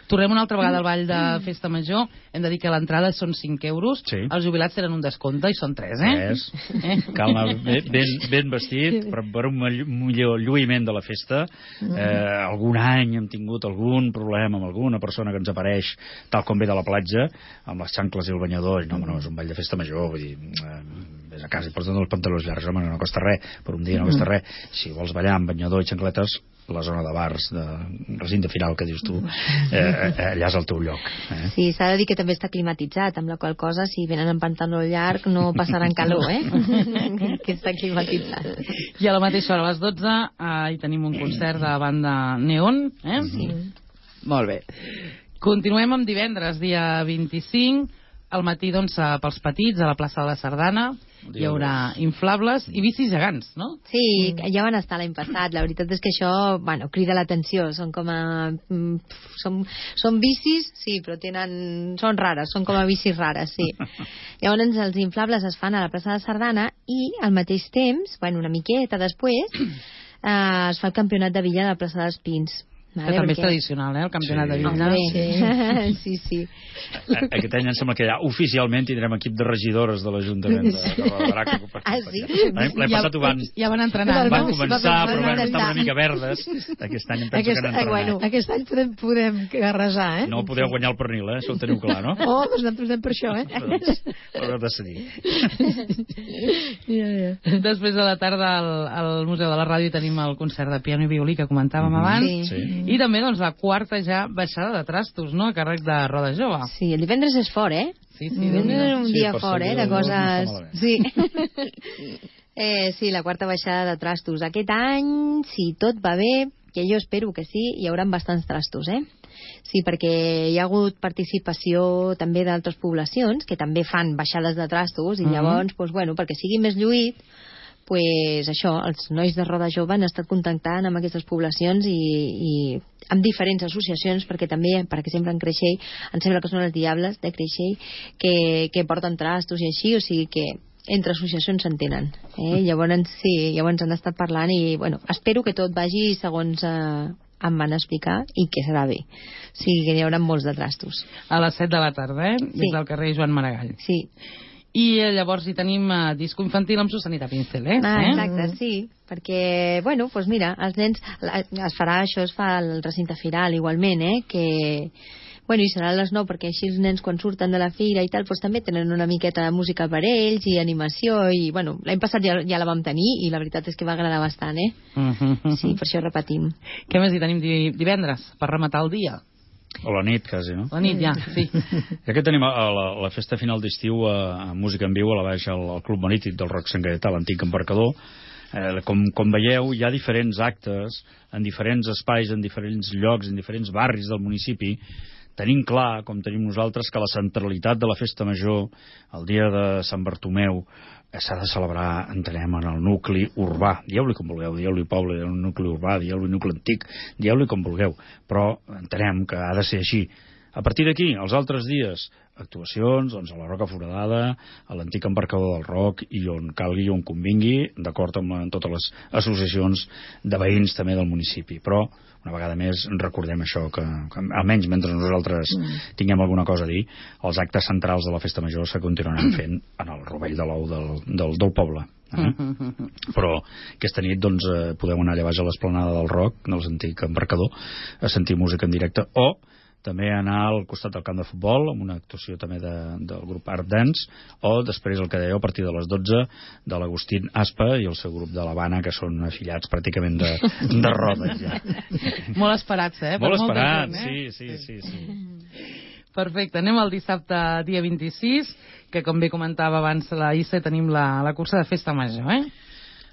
Tornem una altra vegada al ball de festa major. Hem de dir que l'entrada són cinc euros. Sí. Els jubilats tenen un descompte i són tres, eh? Tres. Eh? Cal anar ben, ben vestit per, per un millor lluïment de la festa. Eh, algun any hem tingut algun problema amb alguna persona que ens apareix tal com ve de la platja, amb les xancles i el banyador. I no, no, és un ball de festa major. Vull dir, eh, vés a casa i porta't els pantalons llargs. Home, no costa res. Per un dia no costa res. Si vols ballar amb banyador i xancletes, la zona de bars, de recinte final que dius tu, eh, allà és el teu lloc. Eh? Sí, s'ha de dir que també està climatitzat, amb la qual cosa, si venen en pantaló llarg, no passaran calor, eh? Que està climatitzat. I a la mateixa hora, a les dotze, eh, hi tenim un concert de banda Neon, eh? Sí. Molt bé. Continuem amb divendres, dia vint-i-cinc, al matí, doncs, pels petits, a la plaça de la Sardana, hi haurà inflables i bicis gegants, no? Sí, ja van estar l'any passat. La veritat és que això, bueno, crida l'atenció. Són com a... Són, són bicis, sí, però tenen... Són rares, són com a bicis rares, sí. Llavors, els inflables es fan a la plaça de Sardana i, al mateix temps, bueno, una miqueta després, eh, es fa el campionat de Villa a la plaça dels Pins. Vale, que també perquè... és tradicional, eh, el campionat sí. de Villa. Sí, sí, sí. Aquest any em sembla que ja oficialment tindrem equip de regidores de l'Ajuntament de, de Roda. Ah, sí? L'any passat ho van... Ja van entrenar. Van començar, però van estar una mica verdes. Aquest any em penso aquest, que han entrenat. Bueno, aquest any podem, podem arrasar, eh? No podeu guanyar el pernil, eh? Això ho teniu clar, no? Oh, doncs nosaltres anem per això, eh? Però heu de decidir. Ja, ja. Després de la tarda al, al Museu de la Ràdio tenim el concert de piano i violí que comentàvem mm-hmm. abans. Sí. I també, doncs, la quarta ja baixada de trastos, no?, a càrrec de Roda Jove. Sí, el divendres és fort, eh? Sí, sí. Divendres és un sí, dia fort, eh?, de coses... No sí. eh, sí, la quarta baixada de trastos. Aquest any, si tot va bé, que jo espero que sí, hi haurà bastants trastos, eh? Sí, perquè hi ha hagut participació també d'altres poblacions que també fan baixades de trastos i mm-hmm. llavors, doncs, bueno, perquè sigui més lluït, pues això, els nois de Roda Jove han estat contactant amb aquestes poblacions i, i amb diferents associacions, perquè també, per exemple, en Creixell, em sembla que són els Diables de Creixell, que, que porten trastos i així, o sigui que entre associacions s'entenen. Eh? Llavors, sí, llavors han estat parlant i, bueno, espero que tot vagi segons eh, em van explicar i que serà bé. O sigui que hi haurà molts de trastos. A les set de la tarda, eh? Sí. Des del carrer Joan Maragall. Sí. I eh, llavors hi tenim eh, disco infantil amb Susanita Pincel, eh? Ah, eh? exacte, sí, perquè, bueno, doncs mira, els nens, es farà això, es fa al recinte firal igualment, eh, que, bueno, i serà a les nou, perquè així els nens quan surten de la fira i tal, doncs també tenen una miqueta de música per ells i animació, i, bueno, l'any passat ja, ja la vam tenir i la veritat és que va agradar bastant, eh? Uh -huh. Sí, per això repetim. Què més hi tenim divendres, per rematar el dia? O la nit, quasi, no? La nit, ja, sí. Ja que tenim a la, la festa final d'estiu a, a Música en Viu, a la baixa al, al Club Marítim del Roc Sant Gaietà, l'antic embarcador. Eh, com, com veieu, hi ha diferents actes en diferents espais, en diferents llocs, en diferents barris del municipi. Tenim clar, com tenim nosaltres, que la centralitat de la festa major, el dia de Sant Bartomeu, s'ha de celebrar, entenem, en el nucli urbà. Dieu-li com vulgueu, dieu-li poble, dieu-li nucli urbà, dieu-li nucli antic, dieu-li com vulgueu, però entenem que ha de ser així. A partir d'aquí, els altres dies, actuacions, doncs, a la Roca Foradada, a l'antic embarcador del Roc, i on calgui, on convingui, d'acord amb, amb totes les associacions de veïns també del municipi. Però, una vegada més, recordem això, que, que almenys mentre nosaltres mm. tinguem alguna cosa a dir, els actes centrals de la festa major se continuaran fent en el rovell de l'ou del, del, del poble. Eh? Mm-hmm. Però aquesta nit doncs, eh, podeu anar allà baix a l'esplanada del Roc, de l'antic embarcador, a sentir música en directe, o també anar al costat del camp de futbol amb una actuació també de, del grup Art Dance, o després el que dèieu a partir de les dotze de l'Agustín Aspa i el seu grup de l'Havana, que són afiliats pràcticament de, de roda ja. Molt esperats, eh? Molt per esperats, gent, eh? sí, sí, sí, sí. Perfecte, anem al dissabte dia vint-i-sis, que com bé comentava abans la Issa, tenim la, la cursa de festa major, eh?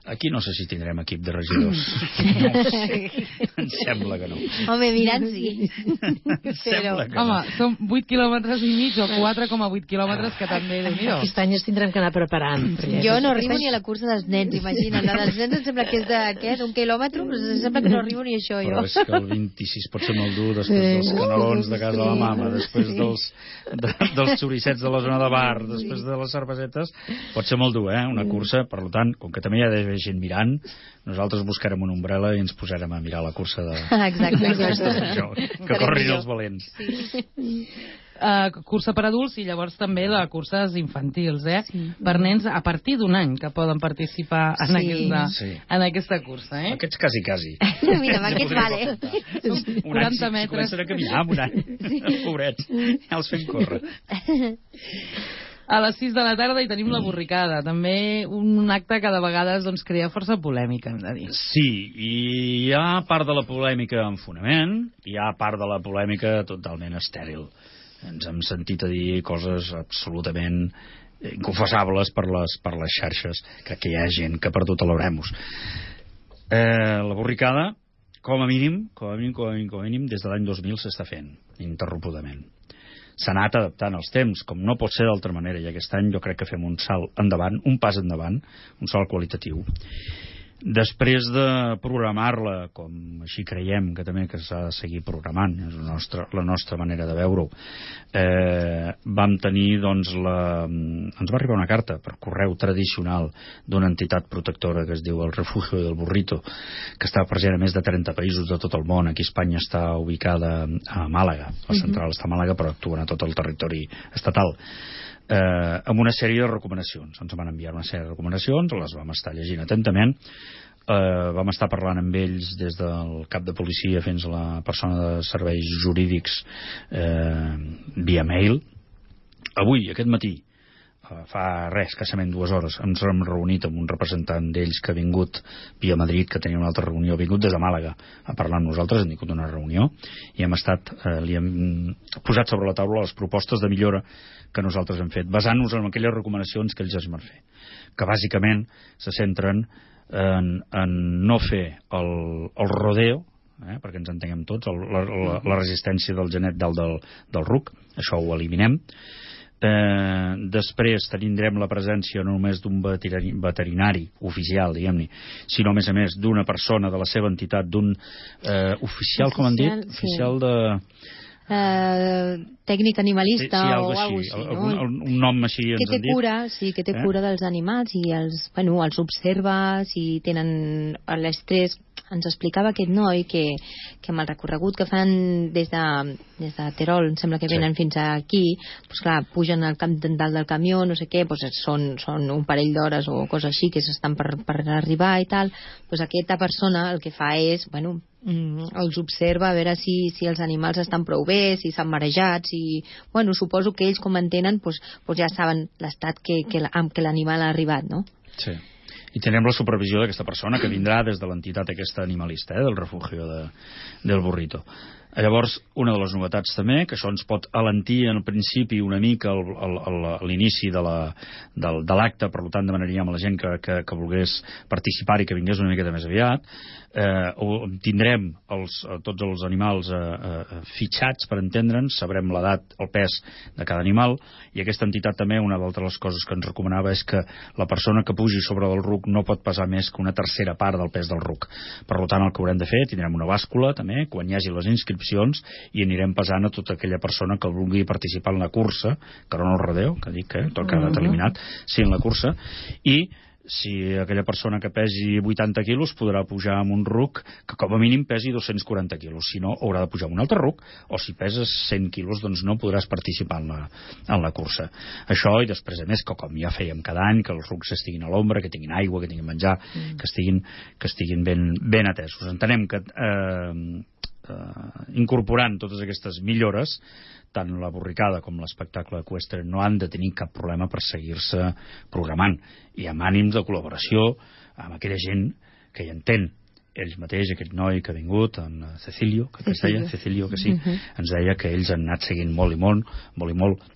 Aquí no sé si tindrem equip de regidors. No ho sé. Em sembla que no. Home, mirant sí. Em sembla que Home, no. són vuit quilòmetres i mig o quatre coma vuit quilòmetres, que també, Déu-n'hi-do. Aquest any ens tindrem que anar preparant. perquè Jo no aquest arribo any- ni a la cursa dels nens, imagina't. La dels nens em sembla que és de, què, d'un quilòmetre, però em sembla que no arribo ni això, Però jo. és que el vint-i-sis pot ser molt dur, després Sí. dels canelons de casa de la Sí. mama, després Sí. dels, de, dels xoricets de la zona de bar, després de les cervesetes, pot ser molt dur, eh? Una cursa, per tant, com que també hi ha d'haver gent mirant, nosaltres buscarem una ombrel·la i ens posarem a mirar la cursa de... Exacte, exacte. Això, que corrin els valents. Uh, cursa per adults i llavors també la curses infantils, eh? Sí. Per nens a partir d'un any que poden participar en, Sí. aquesta, Sí. en aquesta cursa, eh? Aquests quasi, quasi. Mira, amb aquests vale. Un quaranta any, si, metres. si comencen a caminar amb un any. Pobrets, ja els fem córrer. A les sis de la tarda hi tenim la borricada, també un acte que de vegades doncs, crea força polèmica, hem de dir. Sí, i hi ha part de la polèmica en fonament, i hi ha part de la polèmica totalment estèril. Ens hem sentit a dir coses absolutament inconfessables per les, per les xarxes, que, que hi ha gent que ha perdut l'oremus. Eh, la borricada, com a mínim, com a mínim, com a mínim, com a mínim des de l'any dos mil s'està fent, ininterrompudament. S'ha anat adaptant als temps, com no pot ser d'altra manera, i aquest any jo crec que fem un salt endavant, un pas endavant, un salt qualitatiu. Després de programar-la, com així creiem que també que s'ha de seguir programant, és la nostra, la nostra manera de veure-ho, eh, vam tenir, doncs, la... ens va arribar una carta per correu tradicional d'una entitat protectora que es diu el Refugio del Burrito, que està present a més de trenta països de tot el món. Aquí Espanya està ubicada a Màlaga, la central està a Màlaga, però actuen a tot el territori estatal. Eh, amb una sèrie de recomanacions. Ens van enviar una sèrie de recomanacions, les vam estar llegint atentament, eh, vam estar parlant amb ells des del cap de policia fins a la persona de serveis jurídics eh, via mail. Avui, aquest matí, eh, fa res, escassament dues hores, ens hem reunit amb un representant d'ells que ha vingut via Madrid, que tenia una altra reunió, ha vingut des de Màlaga a parlar amb nosaltres, hem tingut una reunió i hem estat, eh, li hem posat sobre la taula les propostes de millora que nosaltres hem fet, basant-nos en aquelles recomanacions que ells ens van fer, que bàsicament se centren en, en no fer el, el rodeo, eh, perquè ens entenguem tots, el, la, la, la resistència del genet dalt del, del ruc, això ho eliminem. Eh, després tindrem la presència no només d'un veterinari, veterinari oficial, diguem-ne, sinó a més a més d'una persona de la seva entitat, d'un eh, oficial, com han dit? Sí. Oficial de... Uh, tècnic animalista sí, sí, o alguna alguna així, cosa així, algun, no? un nom així ens Que té han dit. cura, sí, que té Eh? cura dels animals i els, bueno, els observa, si tenen l'estrès. Ens explicava aquest noi que, que amb el recorregut que fan des de, des de Terol, em sembla que venen Sí. fins aquí, doncs clar, pugen al camp dalt del camió, no sé què, doncs són, són un parell d'hores o coses així que s'estan per, per arribar i tal, doncs aquesta persona el que fa és, bueno, mm, els observa a veure si, si els animals estan prou bé, si s'han marejat, si... Bueno, suposo que ells com entenen doncs, doncs ja saben l'estat que, que, amb què l'animal ha arribat, no? Sí. I tenem la supervisió d'aquesta persona que vindrà des de l'entitat aquesta animalista, eh, del refugio de, del Burrito. Llavors, una de les novetats també, que això ens pot alentir en principi una mica el, el, el, l'inici de, la, del, de l'acte, per tant demanaríem a la gent que, que, que volgués participar i que vingués una miqueta més aviat. Eh, tindrem els, tots els animals eh, eh, fitxats, per entendre'ns, sabrem l'edat, el pes de cada animal, i aquesta entitat també, una d'altres coses que ens recomanava és que la persona que pugi sobre del ruc no pot pesar més que una tercera part del pes del ruc. Per tant, el que haurem de fer, tindrem una bàscula també, quan hi hagi les inscripcions, i anirem pesant a tota aquella persona que vulgui participar en la cursa, que no en el rodeo, que dic que tot quedat eliminat, sí en la cursa, i si aquella persona que pesi vuitanta quilos podrà pujar amb un ruc que com a mínim pesi dos-cents quaranta quilos, si no haurà de pujar amb un altre ruc, o si peses cent quilos doncs no podràs participar en la, en la cursa. Això, i després a més que com ja fèiem cada any, que els rucs estiguin a l'ombra, que tinguin aigua, que tinguin menjar, mm. que estiguin, que estiguin ben, ben atesos. Entenem que eh, Uh, incorporant totes aquestes millores, tant la borricada com l'espectacle eqüestre no han de tenir cap problema per seguir-se programant, i amb ànims de col·laboració amb aquella gent que hi entén. Ells mateix, aquest noi que ha vingut, en Cecilio, que, que es deia, Cecilio, que sí, uh-huh. ens deia que ells han anat seguint molt i molt, molt i molt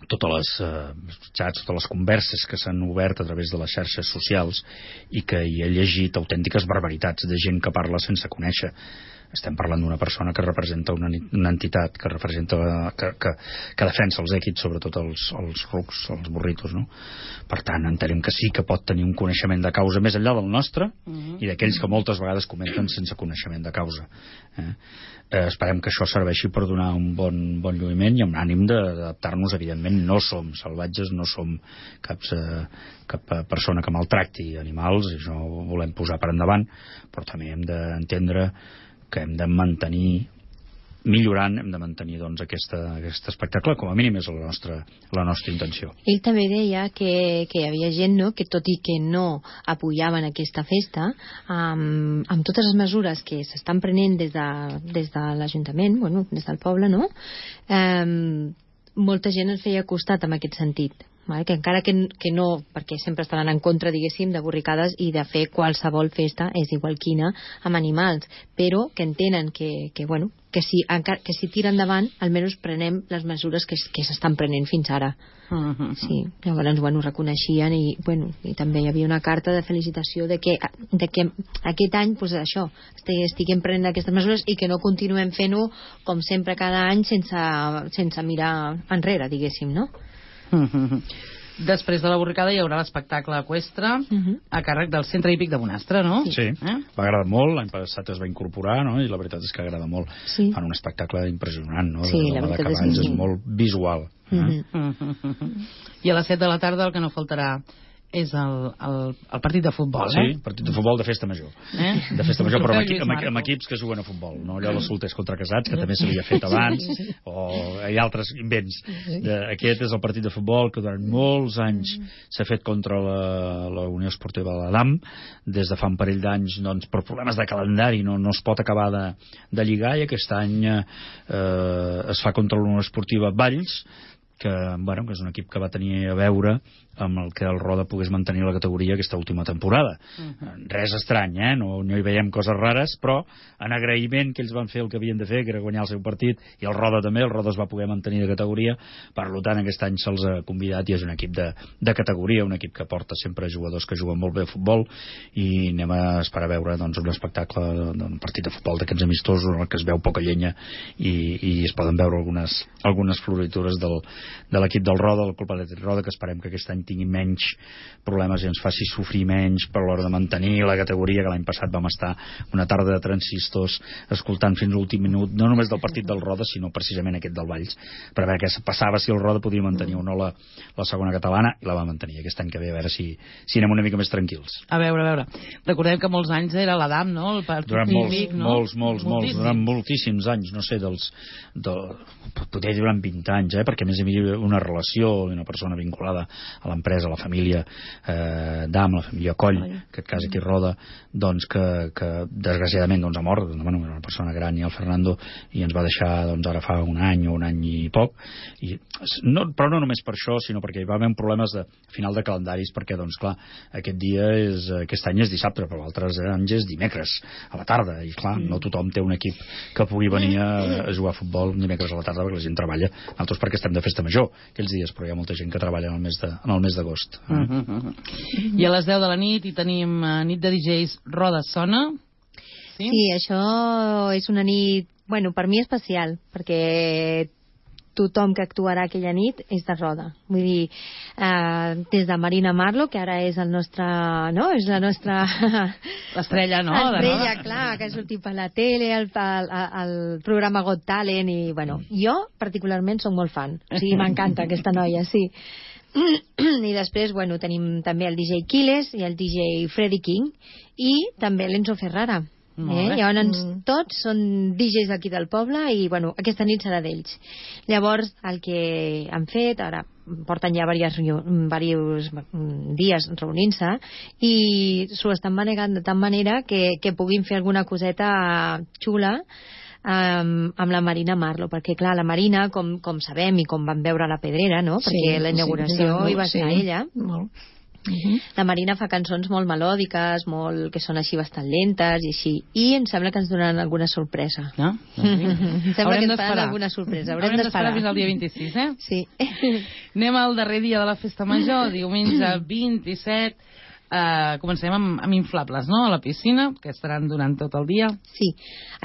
totes les eh, xats, totes les converses que s'han obert a través de les xarxes socials i que hi he llegit autèntiques barbaritats de gent que parla sense conèixer. Estem parlant d'una persona que representa una, una entitat que representa que, que, que defensa els èquits, sobretot els, els rucs, els burritos, no? Per tant, entenem que sí que pot tenir un coneixement de causa més enllà del nostre uh-huh. i d'aquells que moltes vegades comenten sense coneixement de causa. Eh? Eh, esperem que això serveixi per donar un bon, bon lluïment i amb ànim d'adaptar-nos. Evidentment no som salvatges, no som cap, eh, cap persona que maltracti animals, i això ho volem posar per endavant, però també hem d'entendre que hem de mantenir millorant, hem de mantenir doncs, aquesta, aquest espectacle, com a mínim és la nostra, la nostra intenció. Ell també deia que, que hi havia gent, no?, que tot i que no apoyaven aquesta festa, amb, amb totes les mesures que s'estan prenent des de, des de l'Ajuntament, bueno, des del poble, no?, eh, molta gent es feia costat en aquest sentit. Vale? Que encara que, que no, perquè sempre estaran en contra, diguéssim, de borricades i de fer qualsevol festa, és igual quina, amb animals, però que entenen que, que bueno, que si, encara, que si tira endavant, almenys prenem les mesures que, que s'estan prenent fins ara. Uh-huh. Sí, llavors, bueno, reconeixien i, bueno, i també hi havia una carta de felicitació de que, de que aquest any, pues, això, estiguem prenent aquestes mesures i que no continuem fent-ho com sempre cada any sense, sense mirar enrere, diguéssim, no? Després de la borricada hi haurà l'espectacle eqüestre uh-huh. a càrrec del Centre Hípic de Bonastre, no? Sí, eh? Va agradar molt, l'any passat es va incorporar, no? I la veritat és que agrada molt. Sí. Fan un espectacle impressionant, no? Sí, de, la veritat de cavalls, és, és molt visual. Eh? Uh-huh. Uh-huh. I a les set de la tarda el que no faltarà és el, el, el partit de futbol, ah, eh? Sí, partit de futbol de festa major. Eh? De festa major, però amb, equi amb, amb equips que juguen a futbol, no allò de solters contra casats, que també s'havia fet abans, o hi ha altres invents. De, aquest és el partit de futbol que durant molts anys s'ha fet contra la, la Unió Esportiva de l'Adam, des de fa un parell d'anys, doncs, per problemes de calendari no, no es pot acabar de, de lligar, i aquest any eh, es fa contra la Unió Esportiva Valls, que, bueno, que és un equip que va tenir a veure amb el que el Roda pogués mantenir la categoria aquesta última temporada. Uh-huh. Res estrany, eh? No, no hi veiem coses rares, però en agraïment que ells van fer el que havien de fer, que era guanyar el seu partit, i el Roda també, el Roda es va poder mantenir de categoria, per tant aquest any se'ls ha convidat i és un equip de, de categoria, un equip que porta sempre jugadors que juguen molt bé a futbol, i anem a esperar a veure doncs, un espectacle d'un partit de futbol d'aquests amistosos en el que es veu poca llenya i, i es poden veure algunes, algunes floritures del, de l'equip del Roda, el Club Atlètic Roda, que esperem que aquest any tingui menys problemes i ens faci sofrir menys per l'hora de mantenir la categoria, que l'any passat vam estar una tarda de transistors escoltant fins a l'últim minut, no només del partit del Roda, sinó precisament aquest del Valls, per veure què passava, si el Roda podia mantenir o no la, la segona catalana, i la va mantenir aquest any que ve, a veure si, si anem una mica més tranquils. A veure, a veure, recordem que molts anys era l'Adam, no? El partit durant molts, típic, no? molts, molts, molts, durant moltíssims anys, no sé, dels, del, potser durant vint anys, eh? Perquè a més hi havia una relació, una persona vinculada a l'empresa, a la família eh, d'Am, la família Coll, en aquest cas aquí Roda, doncs que, que desgraciadament doncs, ha mort, doncs, bueno, era una persona gran, i el Fernando, i ens va deixar doncs, ara fa un any o un any i poc, i, no, però no només per això, sinó perquè hi va haver problemes de final de calendaris, perquè doncs clar, aquest dia és, aquest any és dissabte, però altres anys és dimecres a la tarda, i clar, mm. no tothom té un equip que pugui venir a, a jugar a futbol dimecres a la tarda, perquè la gent treballa, nosaltres perquè estem de festa major aquells dies, però hi ha molta gent que treballa en el mes de, en el mes d'agost. Eh? Uh -huh, uh -huh. I a les deu de la nit hi tenim uh, nit de D Js Roda Sona. Sí? Sí, això és una nit, bueno, per mi especial, perquè tothom que actuarà aquella nit és de Roda. Vull dir, eh, des de Marina Marlo, que ara és el nostre, no? És la nostra... L'estrella, no? L'estrella, clar, que ha sortit per la tele, el, el, el programa Got Talent, i, bueno, jo particularment soc molt fan. O sigui, m'encanta aquesta noia, sí. I després, bueno, tenim també el D J Quiles i el D J Freddy King i també l'Enzo Ferrara. Eh? Llavors mm. tots són D Js d'aquí del poble i bueno, aquesta nit serà d'ells. Llavors el que han fet ara, porten ja diversos dies reunint-se i s'ho estan manegant de tal manera que, que puguin fer alguna coseta xula Um, amb la Marina Marlo, perquè clar, la Marina, com, com sabem i com vam veure a la Pedrera, no? Perquè sí, la inauguració sí, hi va ser sí. ella. Molt. Uh-huh. La Marina fa cançons molt melòdiques, molt, que són així bastant lentes i així. I em sembla que ens donaran alguna sorpresa. No? Em sembla que ens faran alguna sorpresa. Haurem, Haurem d'esperar fins al dia vint-i-sis, eh? Sí. Anem al darrer dia de la festa major, diumenge vint-i-set. Uh, comencem amb, amb inflables, no?, a la piscina, que estaran durant tot el dia. Sí.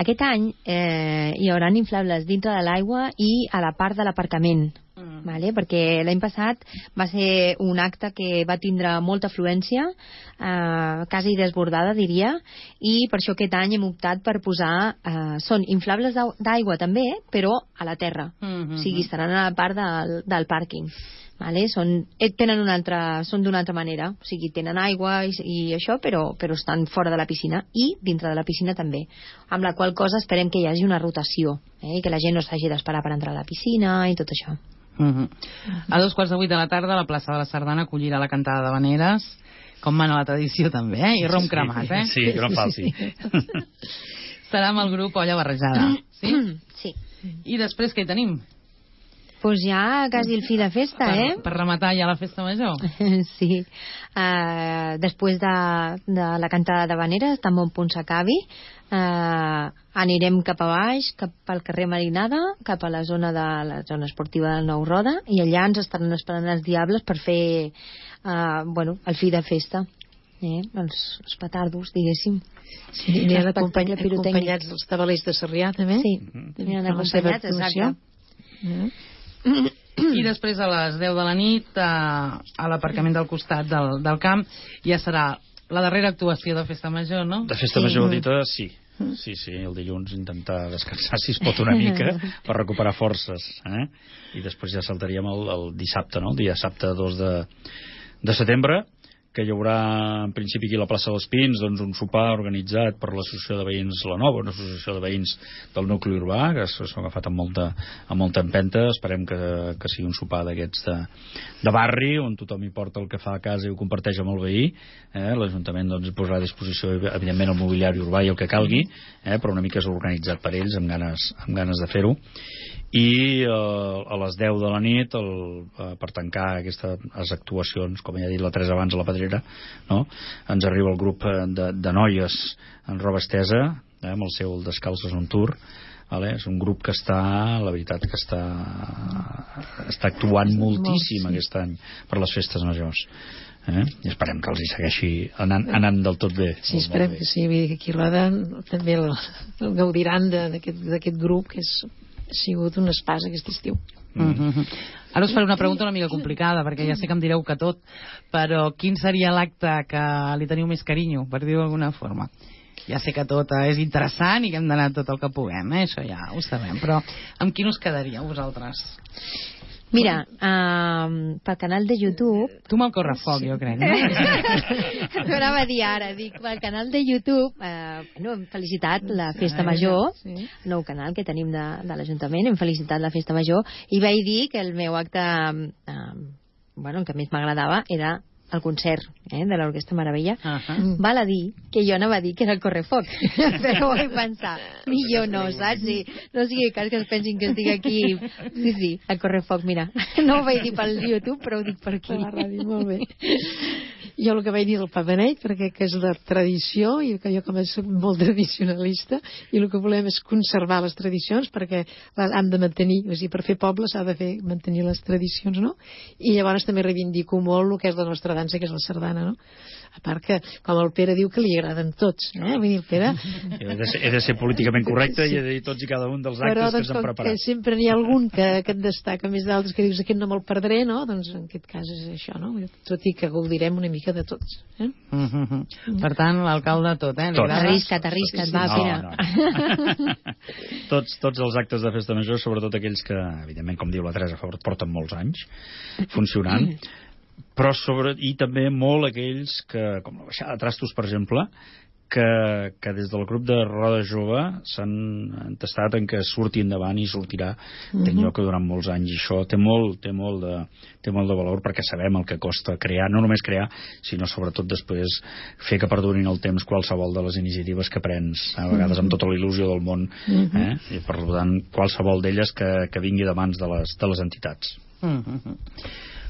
Aquest any eh, hi haurà inflables dintre de l'aigua i a la part de l'aparcament. Mm. Vale? Perquè l'any passat va ser un acte que va tindre molta afluència, eh, quasi desbordada, diria, i per això aquest any hem optat per posar... Eh, són inflables d'aigua també, però a la terra. Mm-hmm. O sigui, estaran a la part del, del pàrquing. Vale? Són, tenen una altra, són d'una altra manera, o sigui, tenen aigua i, i això, però, però estan fora de la piscina i dintre de la piscina també, amb la qual cosa esperem que hi hagi una rotació, eh? Que la gent no s'hagi d'esperar per entrar a la piscina i tot això. Uh-huh. A dos quarts de vuit de la tarda la plaça de la Sardana acollirà la cantada d'havaneres, com mana la tradició també, eh? I rom cremat, eh? Sí, que no falti. Serà amb el grup Olla Barrejada, sí? Sí. I després què hi tenim? Pues ja quasi el fi de festa, per, eh? Per rematar ja la festa major. Sí. Uh, després de, de la cantada d'havaneres, tan bon punt s'acabi, uh, anirem cap a baix, cap al carrer Marinada, cap a la zona de la zona esportiva del Nou Roda, i allà ens estaran esperant els diables per fer uh, bueno, el fi de festa. Eh? Els, els petardos, diguéssim. Sí, aniran acompany, acompanyats dels tabalers de Sarrià, també? Sí, aniran acompanyats, exacte. Mm. I després a les deu de la nit a, a l'aparcament del costat del, del camp ja serà la darrera actuació de festa major, no? De festa major dita, sí. Sí, sí, el dilluns intentar descansar si es pot una mica per recuperar forces, eh? I després ja saltaríem el, el dissabte, no? El dia dissabte dos de, de setembre, que hi haurà en principi aquí a la plaça dels Pins doncs un sopar organitzat per l'associació de veïns La Nova, una associació de veïns del nucli urbà, que s'ha agafat amb molta, amb molta empenta. Esperem que, que sigui un sopar d'aquests de, de barri, on tothom hi porta el que fa a casa i ho comparteix amb el veí. Eh? L'Ajuntament doncs, posarà a disposició evidentment el mobiliari urbà i el que calgui, eh? però una mica és organitzat per ells amb ganes, amb ganes de fer-ho. I eh, a les deu de la nit el, eh, per tancar aquestes actuacions, com ja he dit la Teresa abans a la Pedrera, no? Ens arriba el grup de, de noies en roba estesa, eh, amb el seu Descalces on Tour. Vale? És un grup que està, la veritat que està està actuant moltíssim aquest any per les festes majors. Eh? I esperem que els hi segueixi anant, anant del tot bé. Sí, esperem que sí. Vull dir que aquí a Roda també el, el gaudiran d'aquest grup, que és, ha sigut un espàs aquest estiu. Mm -hmm. Ara us faré una pregunta una mica complicada, perquè ja sé que em direu que tot, però quin seria l'acte que li teniu més carinyo, per dir-ho d'alguna forma? Ja sé que tot és interessant i que hem d'anar tot el que puguem, eh? Això ja ho sabem, però amb quin us quedaríeu vosaltres? Mira, uh, pel canal de YouTube... Tu me'l correfoc, jo crec, no? No anava a dir ara, dic, pel canal de YouTube, uh, no, hem felicitat la Festa Major, sí. Nou canal que tenim de, de l'Ajuntament, hem felicitat la Festa Major, i vaig dir que el meu acte, uh, bueno, el que més m'agradava era el concert eh, de l'Orquestra Meravella. Uh -huh. Val a dir que jo anava a dir que era el correfoc, però vaig pensar, millor no, saps? Sí, no sigui cas que es pensin que estic aquí. Sí, sí, el correfoc, mira, no ho vaig dir pel YouTube, però ho dic per aquí. Per la ràdio, molt bé. Jo el que vaig dir del pa beneit, perquè que és la tradició, i que jo com soc molt tradicionalista, i el que volem és conservar les tradicions, perquè han de mantenir, és a dir, per fer poble s'ha de fer mantenir les tradicions, no? I llavors també reivindico molt el que és la nostra dansa, que és la sardana, no? A part que, com el Pere diu, que li agraden tots, eh? Vull dir, el Pere... He de ser, he de ser políticament correcte sí. I he de dir tots i cada un dels actes però, doncs, que s'han preparat. Però sempre n'hi ha algun que, que et destaca més d'altres, que dius, aquest no me'l perdré, no? Doncs en aquest cas és això, no? Tot i que gaudirem una mica de tots. Eh? Mm -hmm. Per tant, l'alcalde tot, eh? Tot. Arrisca't, arrisca't, va, Pere. No, no. tots, tots els actes de festa major, sobretot aquells que, evidentment, com diu la Teresa, porten molts anys funcionant, però sobre, i també molt aquells que, com la baixada de trastos, per exemple, que, que des del grup de Roda Jove s'han entestat en que surti endavant i sortirà uh-huh. ten lloc durant molts anys, i això té molt, té, molt de, té molt de valor, perquè sabem el que costa crear, no només crear, sinó sobretot després fer que perdurin el temps qualsevol de les iniciatives que prens, a vegades amb tota la il·lusió del món, uh-huh. eh? I per tant qualsevol d'elles que, que vingui de mans de les, de les entitats. Uh-huh.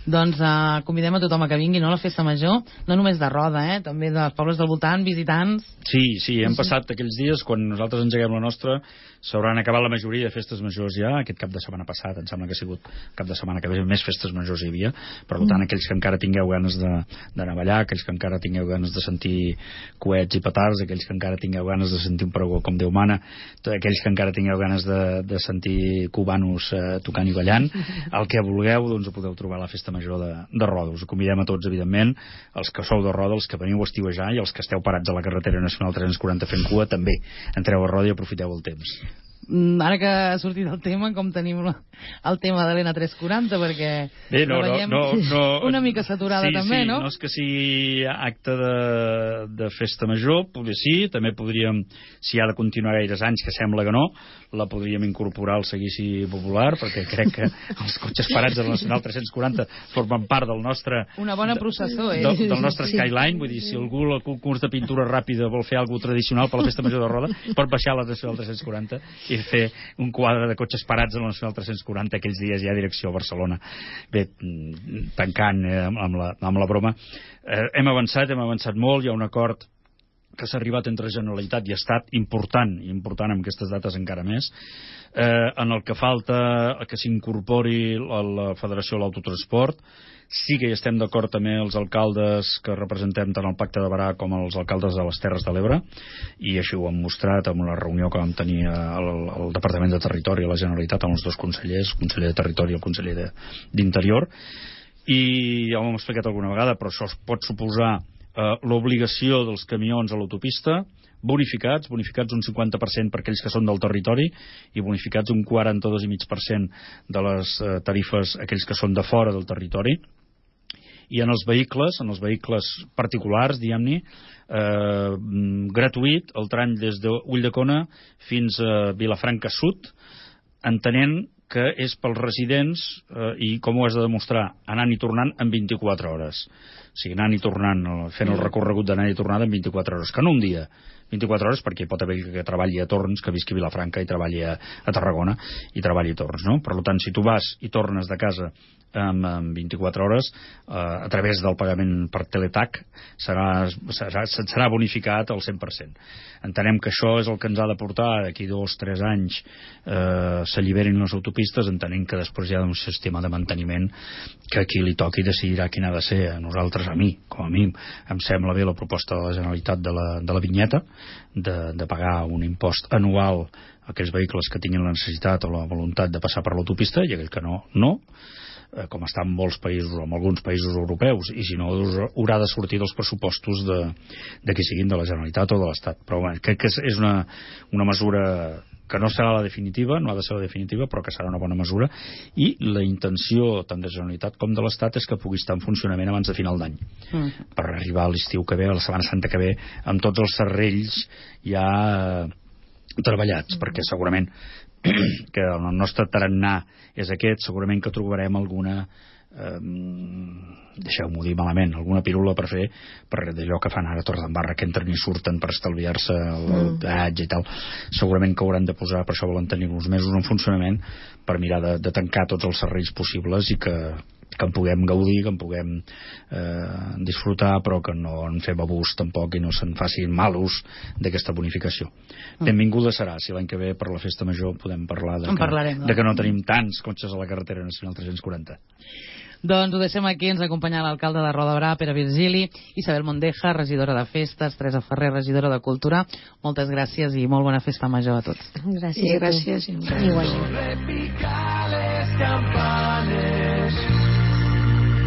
Doncs uh, convidem a tothom a que vingui, no?, a la festa major, no només de Roda, eh?, també dels pobles del voltant, visitants. Sí, sí, hem passat aquells dies, quan nosaltres engeguem la nostra, s'hauran acabat la majoria de festes majors ja, aquest cap de setmana passat, em sembla que ha sigut cap de setmana que ve, més festes majors hi havia, per tant, aquells que encara tingueu ganes de, d'anar a ballar, aquells que encara tingueu ganes de sentir coets i petards, aquells que encara tingueu ganes de sentir un pregó com Déu mana, aquells que encara tingueu ganes de, de sentir cubanos eh, tocant i ballant, el que vulgueu, doncs ho podeu trobar a la festa major de, de Roda. Us ho convidem a tots, evidentment, els que sou de Roda, els que veniu a estiuejar i els que esteu parats a la carretera nacional tres-cents quaranta fent cua, també entreu a Roda i aprofiteu el temps. Ara que ha sortit el tema, com tenim la, el tema de l'E N A tres quaranta, perquè Bé, no, la veiem no, no, no, una mica saturada, sí, també, sí, no? No és que sigui acte de, de festa major, potser sí, també podríem, si ha de continuar gaires anys, que sembla que no, la podríem incorporar al seguici popular, perquè crec que els cotxes parats de la Nacional tres-cents quaranta formen part del nostre... Una bona processó, eh? Del, del nostre skyline, vull dir, si algú al concurs de pintura ràpida vol fer alguna tradicional per la festa major de Roda, pot baixar a la Nacional tres-cents quaranta i fer un quadre de cotxes parats a la Nacional tres-cents quaranta aquells dies ja a direcció a Barcelona. Bé, tancant eh, amb, la, amb la broma, eh, hem avançat, hem avançat molt, hi ha un acord que s'ha arribat entre Generalitat i Estat important, important amb aquestes dates encara més, eh, en el que falta que s'incorpori la, la Federació de l'Autotransport. Sí que hi estem d'acord també els alcaldes que representem tant el Pacte de Barà com els alcaldes de les Terres de l'Ebre, i això ho hem mostrat en una reunió que vam tenir al, al Departament de Territori a la Generalitat amb els dos consellers, el conseller de Territori i el conseller d'Interior, i ja ho hem explicat alguna vegada, però això pot suposar Uh, l'obligació dels camions a l'autopista, bonificats, bonificats un cinquanta per cent per aquells que són del territori i bonificats un quaranta-dos coma cinc per cent de les uh, tarifes aquells que són de fora del territori. I en els vehicles, en els vehicles particulars, diguem-ne, eh, gratuït el tram des d'Ulldecona fins a Vilafranca Sud, entenent que és pels residents eh, i com ho has de demostrar, anant i tornant en vint-i-quatre hores. O sigui, anant i tornant, fent el recorregut d'anar i tornada en vint-i-quatre hores, que no un dia, vint-i-quatre hores, perquè pot haver que treballi a Torns, que visqui a Vilafranca i treballi a, a Tarragona i treballi a Torns, no? Per tant, si tu vas i tornes de casa en, en vint-i-quatre hores, eh, a través del pagament per Teletac, serà, serà, serà bonificat al cent per cent. Entenem que això és el que ens ha de portar d'aquí dos o tres anys eh, s'alliberin les autopistes, entenent que després hi ha un sistema de manteniment que a qui li toqui decidirà quin ha de ser. A nosaltres, a mi, com a mi, em sembla bé la proposta de la Generalitat de la, de la vinyeta, de, de pagar un impost anual a aquells vehicles que tinguin la necessitat o la voluntat de passar per l'autopista, i aquell que no, no, eh, com està en molts països, o en alguns països europeus, i si no, haurà de sortir dels pressupostos de, de qui siguin de la Generalitat o de l'Estat. Però bueno, crec que és, és una, una mesura que no serà la definitiva, no ha de ser la definitiva, però que serà una bona mesura, i la intenció tant de la Generalitat com de l'Estat és que pugui estar en funcionament abans de final d'any, mm. per arribar a l'estiu que ve, a la Setmana Santa que ve, amb tots els serrells ja eh, treballats, mm. perquè segurament que el nostre tarannà és aquest, segurament que trobarem alguna eh, deixeu-m'ho dir malament, alguna pirula per fer per d'allò que fan ara a Torredembarra, que entren i surten per estalviar-se el mm. peatge i tal. Segurament que hauran de posar, per això volen tenir uns mesos en funcionament per mirar de, de tancar tots els serrells possibles i que, que en puguem gaudir, que en puguem eh, disfrutar, però que no en fem abús tampoc i no se'n facin mal ús d'aquesta bonificació. Mm. Benvinguda serà si l'any que ve per la festa major podem parlar de que, parlarem, de que no tenim tants cotxes a la carretera nacional tres-cents quaranta. Doncs ho deixem aquí, ens acompanya l'alcalde de Roda de Barà, Pere Virgili, Isabel Mondeja, regidora de Festes, Teresa Ferrer, regidora de Cultura. Moltes gràcies i molt bona festa major a tots. Gràcies. Sí, gràcies. Igualment.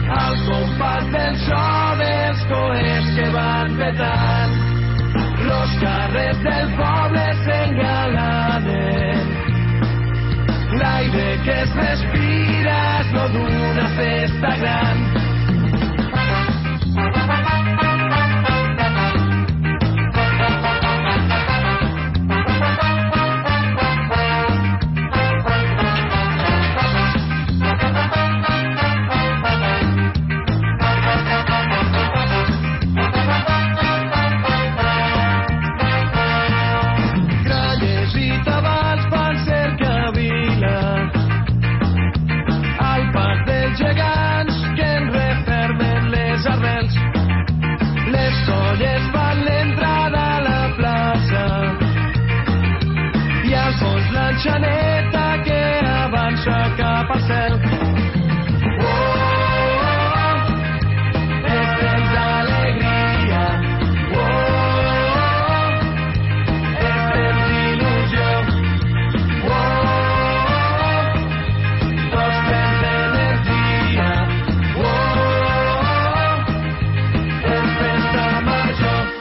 Al compàs del so dels coets que van petant, los carrers del poble s'engalaven. L'aire que es respira és no d'una festa gran. Gegants que l'anxaneta que avança cap al cel.